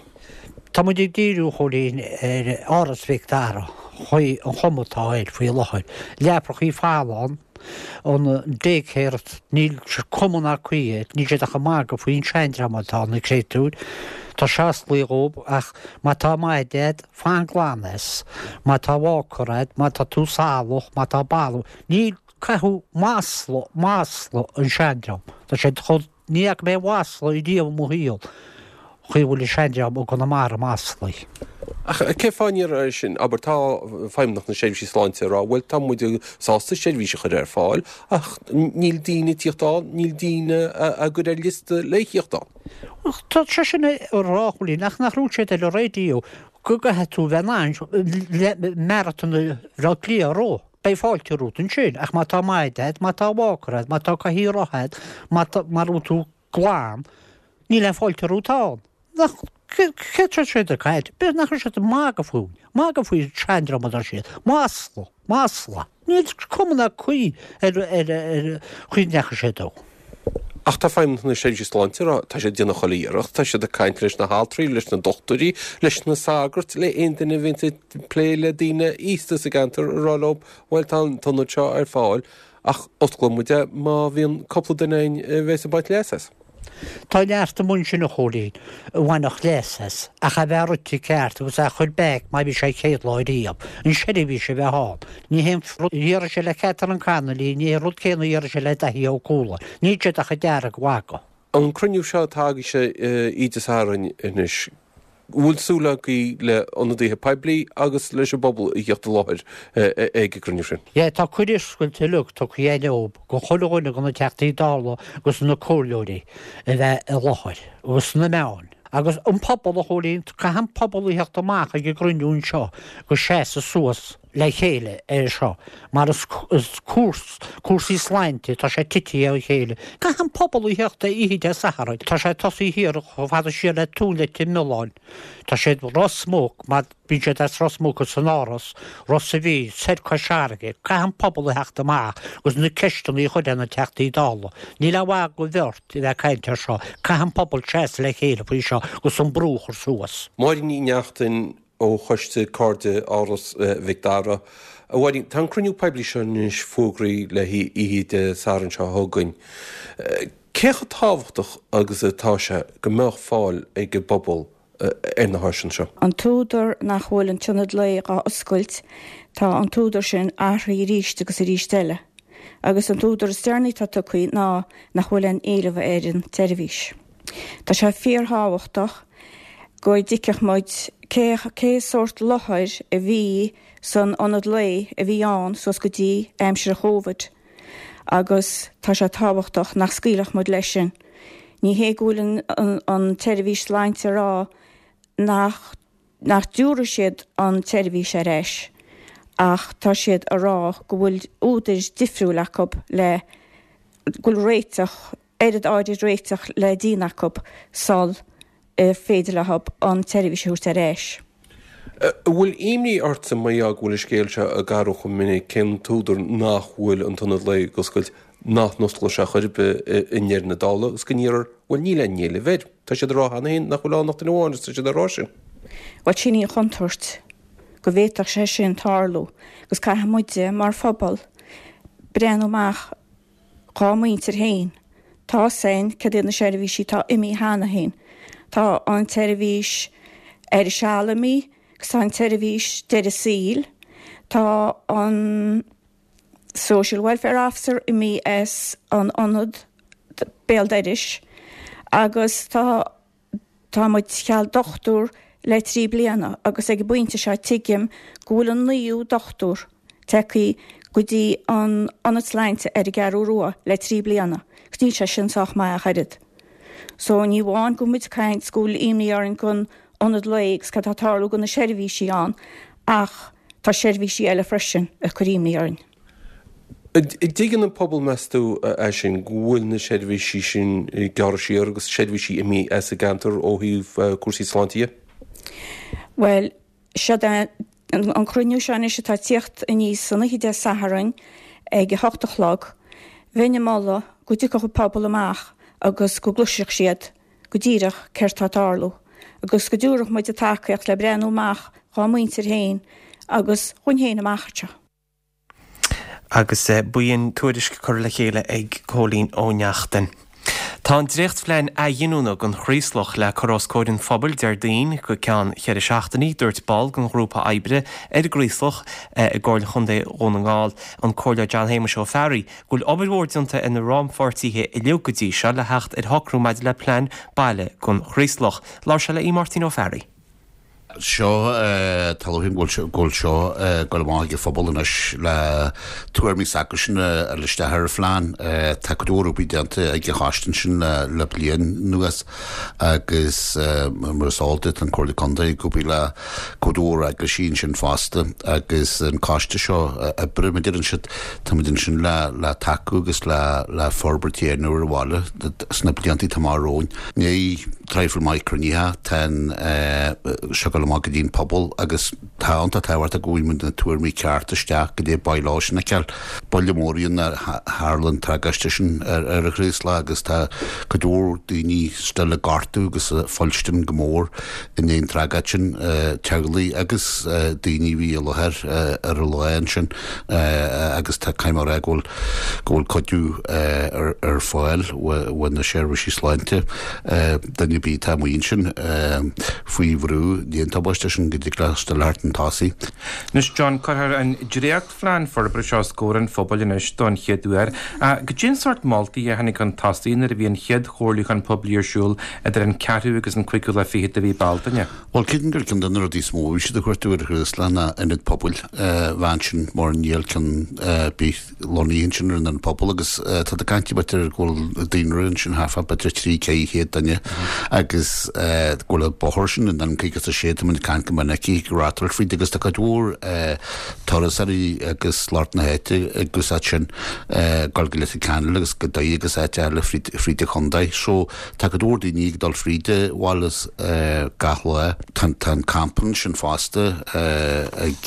Tá muid ag díriú, a Chóilín, ar Áras Mhic Dara, an chuma atá air faoi láthair. Leapacha folamh ann, an daycare, níl cuma ná caoi air, níl siad ach ag magadh faoin seandream atá ann, na créatúir. Tá sé osclaithe dhób ach má tá maide a'd, fan glan as, má tá walker a'd, má tá tú salach, má tá balbh, níl, caitheadh masla, masla an seandream. Tá siad chomh, ní fhaca mé masla riamh i mo shaol. Chaoi a bhfuil an seandream i gConamara maslaithe. Ach cén fáth an iarraidh sin? Abair, tá Feidhmeannacht na Seirbhísí Sláinte ag rá, bhuel, tá muid sásta seirbhís a chur ar fáil, ach níl daoine ag tíocht ann, níl daoine á gcur ar liosta le thíocht ann. Tá sé sin a rá, a Chóilín, ach nach raibh siad ar an raidió go gcaithfidh tú bheith in ann Maratón Bhaile Átha Cliath a rith. Beidh fáilte romhat ansin, ach má tá maide agat, má tá walker agat, má tá cathaoir rotha agat, má tá, má raibh tú glan, Níl aon fáilte romhat ann. Nach, céard tá siad ag caint? B'fhéidir nach raibh siad ag magadh fúinn. Magadh faoi seandream atá siad. Masla. Masla. Níl cuma ná caoi ar ar ar chaoi a ndeachaigh sé dó. Ach tá Feidhmeannacht na Seirbhíse Sláinte ag rá, tá siad ag déanamh chuile iarracht, tá siad ag caint leis na haltraí, leis na dochtúirí, leis na sagairt, le aon duine a bhíonns ag plé le daoine aosta sa gceantar, ag rá leo, bhuel tá an t-ionad seo ar fáil ach osclóidh muid é má bhíonn cúpla duine ann a bheas ag baint leas as. Tá neart amuigh ansin, a Chóilín, a bhainfeadh leas as, ach é bheith rite ceart agus é a chur back mar bhí sé an chéad lá riamh, an seirbhís a bheith ann. Ní hé an rud a déarfaidh sé le Catherine Connolly, ní hé an rud céanna a déarfaidh sé le Daithí Ó Cualáin. Níl siad ach ag dearg-mhagadh. An cruinniú seo atá agaibhse oíche Dé Sathairn anois, bhfuil súil agaibh le ionadaithe poiblí agus leis an bpobal a theacht i láthair ag an gcruinniú sin? Yeah, tá cuireadh oscailte uilig tugtha againn dóibh, go chuile dhuine de na Teachtaí Dála agus na comhairleoirí a bheith i láthair, agus na meáin. Agus an pobal, a Chóilín, caithfidh an pobal a theacht amach ag an gcruinniú anseo agus seasamh suas. le chéile ar seo mar is cúrs cúrsaí sláinte tá sé tite ó chéile. Caithfidh an pobal a theacht oíche Dé Sathairn, tá sé tosaithe thiar chomh fada siar le Tóin Leitir Mealláin. Tá siad Ros Muc mar bíonn siad as Ros Muc agus san Áras, Ros a' Mhíl, soir Cois Fharraige, caithfidh an pobal a theacht amach agus na ceisteanna a chur ar na Teachtaí Dála. Níl aon mhaith do bheirt a bheith ag caint ar seo, caithfidh an pobal seasamh le chéile faoi seo agus an brú a chur suas. Máirín Ní Neachtain ó Choiste Cairde Áras Mhic Dara. A Mháirín, tá an cruinniú poiblí seo anois fógraithe le hoíche Dé Sathairn seo chugainn. Cé chomh tábhachtach agus atá sé go mbeadh fáil ag an bpobal ar na háiseanna seo? An t-údar nach bhfuil an t-ionad lae dhá oscailt, tá an t-údar sin athraithe arís agus arís eile. Agus an t-údar is deireanaí atá tugtha ná nach bhfuil aon éileamh ar an tseirbhís. Tá sé fíorthábhachtach go dtuigfeadh muid cé cé sórt láthair a bhí san ionad lae a bhí ann suas go dtí aimsir an Chóvid agus tá sé tábhachtach nach scaoilfeadh muid leis sin. Ní hé go bhfuil an, an, an tseirbhís sláinte a rá nach nach dtabharfaidh siad an tseirbhís ar ais ach tá siad a rá go bhfuil údair difriúil acu le go bhfuil réiteach, oiread áirid réiteach le déanamh acu sul féidir leo an tseirbhís a thabhairt ar ais. An bhfuil imní ortsa mar gheall go bhfuil an scéal seo ag athrú chomh minic, cén t-údar nach bhfuil an t-ionad lae ag oscailt, nach n-osclóidh sé chor ar bith i ndeireadh na dála agus go ndéarfar bhuel níl aon éileamh air. Tá siad ag rá cheana féin nach bhfuil ann ach duine amháin agus tá siad ag rá sin. Bhuel sin í an chontúirt go bhféadfadh sé sin tarlú agus caithfidh muide mar phobal breathnú amach dhá muintir féin. Tá a fhios againn cad iad na seirbhísí atá imithe cheana féin. Tá an tseirbhís ar a seal imithe agus tá an tseirbhís deireadh saoil. Tá an Social Welfare Officer imithe as an ionad béal dorais agus tá tá muid cheal dochtúir le trí bliana agus ag an bpointe seo tuigim go bhfuil an naoú dochtúir tagtha go dtí an ionad sláinte ar an gCeathrú Rua le trí bliana agus níl sé sin sách maith ach oiread. So ní amháin go bhfuil muid ag caint go bhfuil imní orainn don ionad lae agus cad tá ag tarlú do na seirbhísí ann ach tá seirbhísí eile freisin ag cur imní orainn. An dtuigeann an pobal, meas tú, é sin, go bhfuil na seirbhísí sin ag gearradh siar agus seirbhísí imithe as an gceantar ó thaobh cúrsaí sláinte dhe? Bhuel, seod é an cruinniú seo anois atá ag tíocht aníos san oíche Dé Sathairn ag a hocht a chlog. Bheinn ag moladh go dtiocfadh an pobal amach agus go gcloisfeadh siad go díreach céard tá ag tarlú agus go dtabharfadh muid an tacaíocht le breathnú amach dhá muintir féin agus dhúinn féin amach anseo. Agus b'in tuairisc curtha le chéile ag Cóilín Ó Neachtain. Tá an dréachtphlean athghiniúna don Chraoslach le cur os comhair an phobail Déardaoin go ceann cheithre seachtainí, dúirt ball den ghrúpa oibre ar an gCraoslach i gComhairle Chontae Dhún na nGall, an Comhairleoir John Shéamuis Ó Fearraigh, go bhfuil obair mhór déanta ag na rannpháirtithe uilig go dtí seo le theacht ar shocrú maidir le plean baile don Chraoslach. Labhair sé le Aodh Máirtín Ó Fearraigh. Seo, tá lóchrann go bhfuil seo ag dul amach ag an phobal anois le tuairimí s'acusan a fháil isteach ar an phlean. Tá cuid mhór oibre déanta ag an choiste ansin le bliain anuas agus mar is eol duit tá an Comhairle Contae ag obair le cuid mhór eaglaisí ansin fosta agus an coiste seo oibre, mar a deireann siad, táimid ansin le le tacú agus le le forbairt a dhéanamh ar an bhaile sna blianta atá amach romhainn. Ní traidhfil maith cruinnithe, tá an seo ag dul amach go dtí an pobal agus tá iontach tábhachtach go bhfaighidh muid na tuairimí cearta isteach go dtí ba leo sin a fheiceáil. Buille mór í nuair a tharla an tragóid sin ar an Chraoslach agus tá cuid mhór daoine still ag gortú agus ag fuilstin go mór i ndiaidh an tragóid sin, teaghlaigh agus daoine a bhí i láthair ar an lá ansin agus tá caithfidh mé a rá go bhfuil go bhfuil cuidiú ar fáil ó na seirbhísí sláinte duine ar bith atá amuigh ansin faoi bhrú i ndiaidh an tubaiste sin go dtig leo still a theacht chun tosaigh. Anois John, cuirfear an dréachtphlean forbartha seo os comhair an phobail anois don chéad uair. Goidé an sórt moltaí a tháinig chun tosaigh nuair a bhí an chéad chomhairliúchán poiblí ar siúl idir an ceathrú agus an cúigiú lá fichead de mhí Bealtaine? Bhuel, creidim gur ceann de na rudaí is mó a bhí siad ag cuartú ar an Chraoslach ná ionad pobail a bheith ansin mar níl ceann ar bith lonnaithe ansin ar an ionad pobail agus tá ag caint b'fhéidir go bhfuil daonra ansin thart fá b'fhéidir trí ceithre chéad duine agus go bhfuil an bóthar sin an N caoga is a sé tá muid ag caint go minic ag reáchtáil fríd agus tá cuid mhór turasóirí agus lucht na háite ag úsáid sin dul go Leitir Ceanainn agus go Doire agus áit eile fríd fríd an chontae. So tá cuid mhór daoine ag dul fríd an bhaile gach lá. Tá tá an campa ansin fosta ag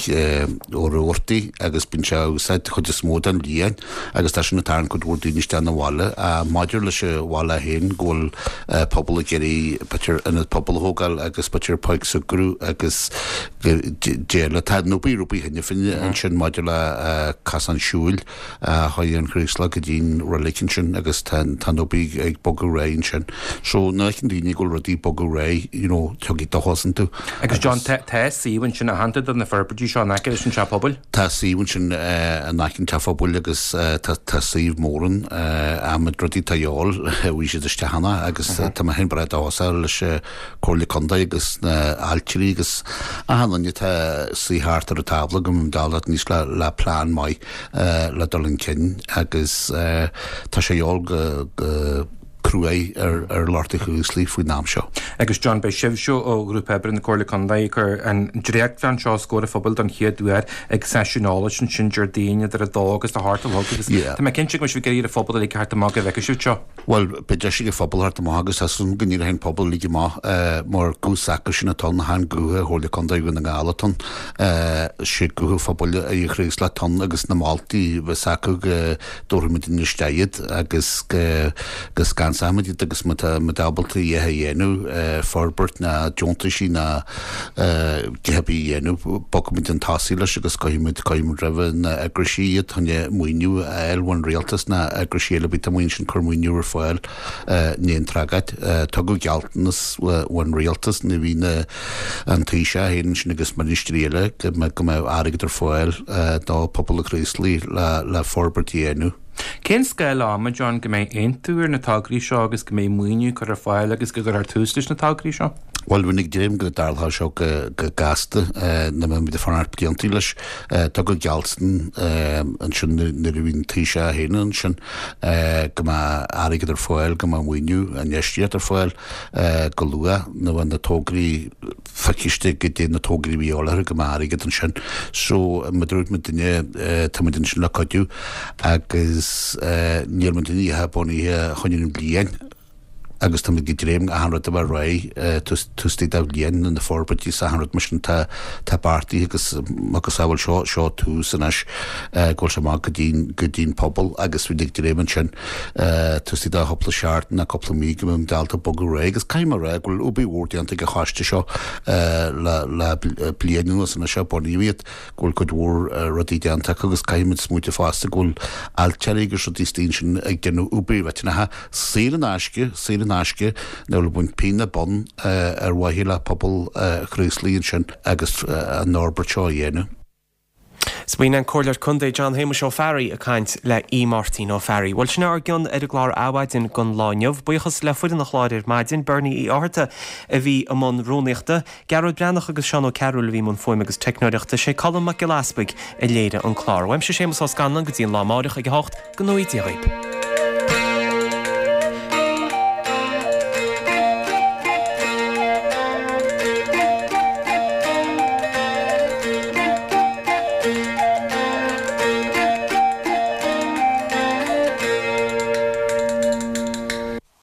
Ó Rabhartaigh agus bíonn sé á úsáid chuid is mó den bhliain agus tá sin ag tarraingt cuid mhór daoine isteach 'na bhaile. Maidir leis an bhaile féin go bhfuil pobal ag iarraidh b'fhéidir ionad pobail a thógáil agus b'fhéidir páirc súgartha agus déile. Tá an obair obair cheana féin ansin maidir le cosán siúil a chuaigh ón Chraoslach go dtí'n reilig ansin agus tá an obair ag bogadh ar aghaidh ansin. So nuair a fheiceann daoine go bhfuil rudaí ag bogadh ar aghaidh, you know, tiocfaidh dóchas iontu. Agus John, tá suíomh ansin aitheanta do na forbairtí seo in aice leis an teach pobail? Tá suíomh ansin in aice an teach pobail agus tá suíomh mór ann, adhmad rudaí atá a dhíobháil, bhí siad isteach cheana agus tá mé féin breá dóchasach leis an Comhairle Contae agus na ailtirí agus achan duine atá suí thart ar an tábla go mbeidh dul níos le le plean maith le dul chun cinn agus tá sé a dhíobháil go go cruaidh ar ar lucht an Chraoslaigh faoin am seo. Agus John, beidh sibhse ó Ghrúpa Oibre na Comhairle Contae ag cur an dréachtphlean seo os comhair an phobail don chéad uair ag seisiún eolais ansin Déardaoin idir a dó agus a hocht a chlog agus tá mé cinnte go mbeidh sibh ag iarraidh ar an phobal uilig theacht amach go bhfeicfidh sibh seo. Bhuel, beidh deis ag an phobal theacht amach agus tá súil agam go n-éireoidh an pobal uilig amach mar guth s'acusan atá ann, chan guth Chomhairle Contae Dhún na nGall atá ann, sé guth an phobail an Chraoslaigh atá ann agus na moltaí a bheas acu go dtabharfaimid isteach iad agus go go scansóimid iad agus má tá muid ábalta a dhath a dhéanamh, forbairt ná deontaisí ná a dhath ar bith a dhéanamh, bogfaimid chun tosaigh leis agus cuirfimid cuirfimid roimhe na eagraisí iad chun maoiniú a fháil ón rialtas ná eagraisí eile bith atá amuigh ansin cur maoiniú ar fáil in aon tráth. Tugadh gealltanas ón rialtas nuair a bhí na an Taoiseach féin ansin agus ministrí eile go mbeadh airgead ar fáil do phobal an Chraoslaigh le forbairt a dhéanamh. Cén scála ama, John, go mbeidh aontú ar na tograí seo agus go mbeidh maoiniú curtha ar fáil agus go gcuirfear tús leis na tograí seo? Bhuel, bheinn ag dréim go dtarlódh seo go gasta, nach mbeidh muid ag fanacht blianta leis. Tugadh gealltan ansin nuair a bhí an Taoiseach féin ansin go mbeadh airgead ar fáil, go mbeadh maoiniú, infheistíocht ar fáil go luath nuair a bheadh na tograí feiciste goidé na tograí a bhí eol orthu go mbeadh airgead ansin. So, mar a dúirt muidinne, tá muid ansin le cuidiú agus níl muidinne bunaithe chun an bhliain. agus táimid ag dréim achan rud a bheith réidh taobh istigh de bhliain na forbairtí is achan rud mar sin tá tá beartaithe agus agus bhuel seo seo tús anois go bhfuil sé amach go dtí go dtí an pobal agus bhí ag dréim ansin taobh istigh de chúpla seachtain nó cúpla mí go mbeidh muid ábalta bogadh ar aghaidh agus caithfidh mé a rá go bhfuil obair mhór déanta ag an choiste seo le le bliain anuas anois ó bunaíodh iad go bhfuil cuid mhór rudaí déanta acu agus caithfidh muid smaointiú fosta go bhfuil ailtirí agus rudaí istigh ansin ag déanamh obair mhillteanach saor in aisce, saor in aisce, nach bhfuil ag baint pingin ná bonn ar mhaithe le pobal Chraoslaigh ansin agus an fhorbairt seo a dhéanamh. 'S b'in an Comhairleoir Contae John Shéamuis Ó Fearraigh ag caint le Aodh Máirtín Ó Fearraigh. Bhuel sin ár gcion ar an gclár Adhmhaidin don lá inniu. Buíochas le foireann an chláir ar maidin, Bernie Uí Fhátharta a bhí i mbun rúnaíochta, Gearóid Breathnach agus Seán Ó Cearúil a bhí i mbun fuaime agus teicneoireachta, sé Colm Mac Giolla Easpaig a léirigh an clár. Uaimse Séamus Ó Scanláin go dtí an lá amáireach ag a hocht, go ngnóthaí Dia dhaoib.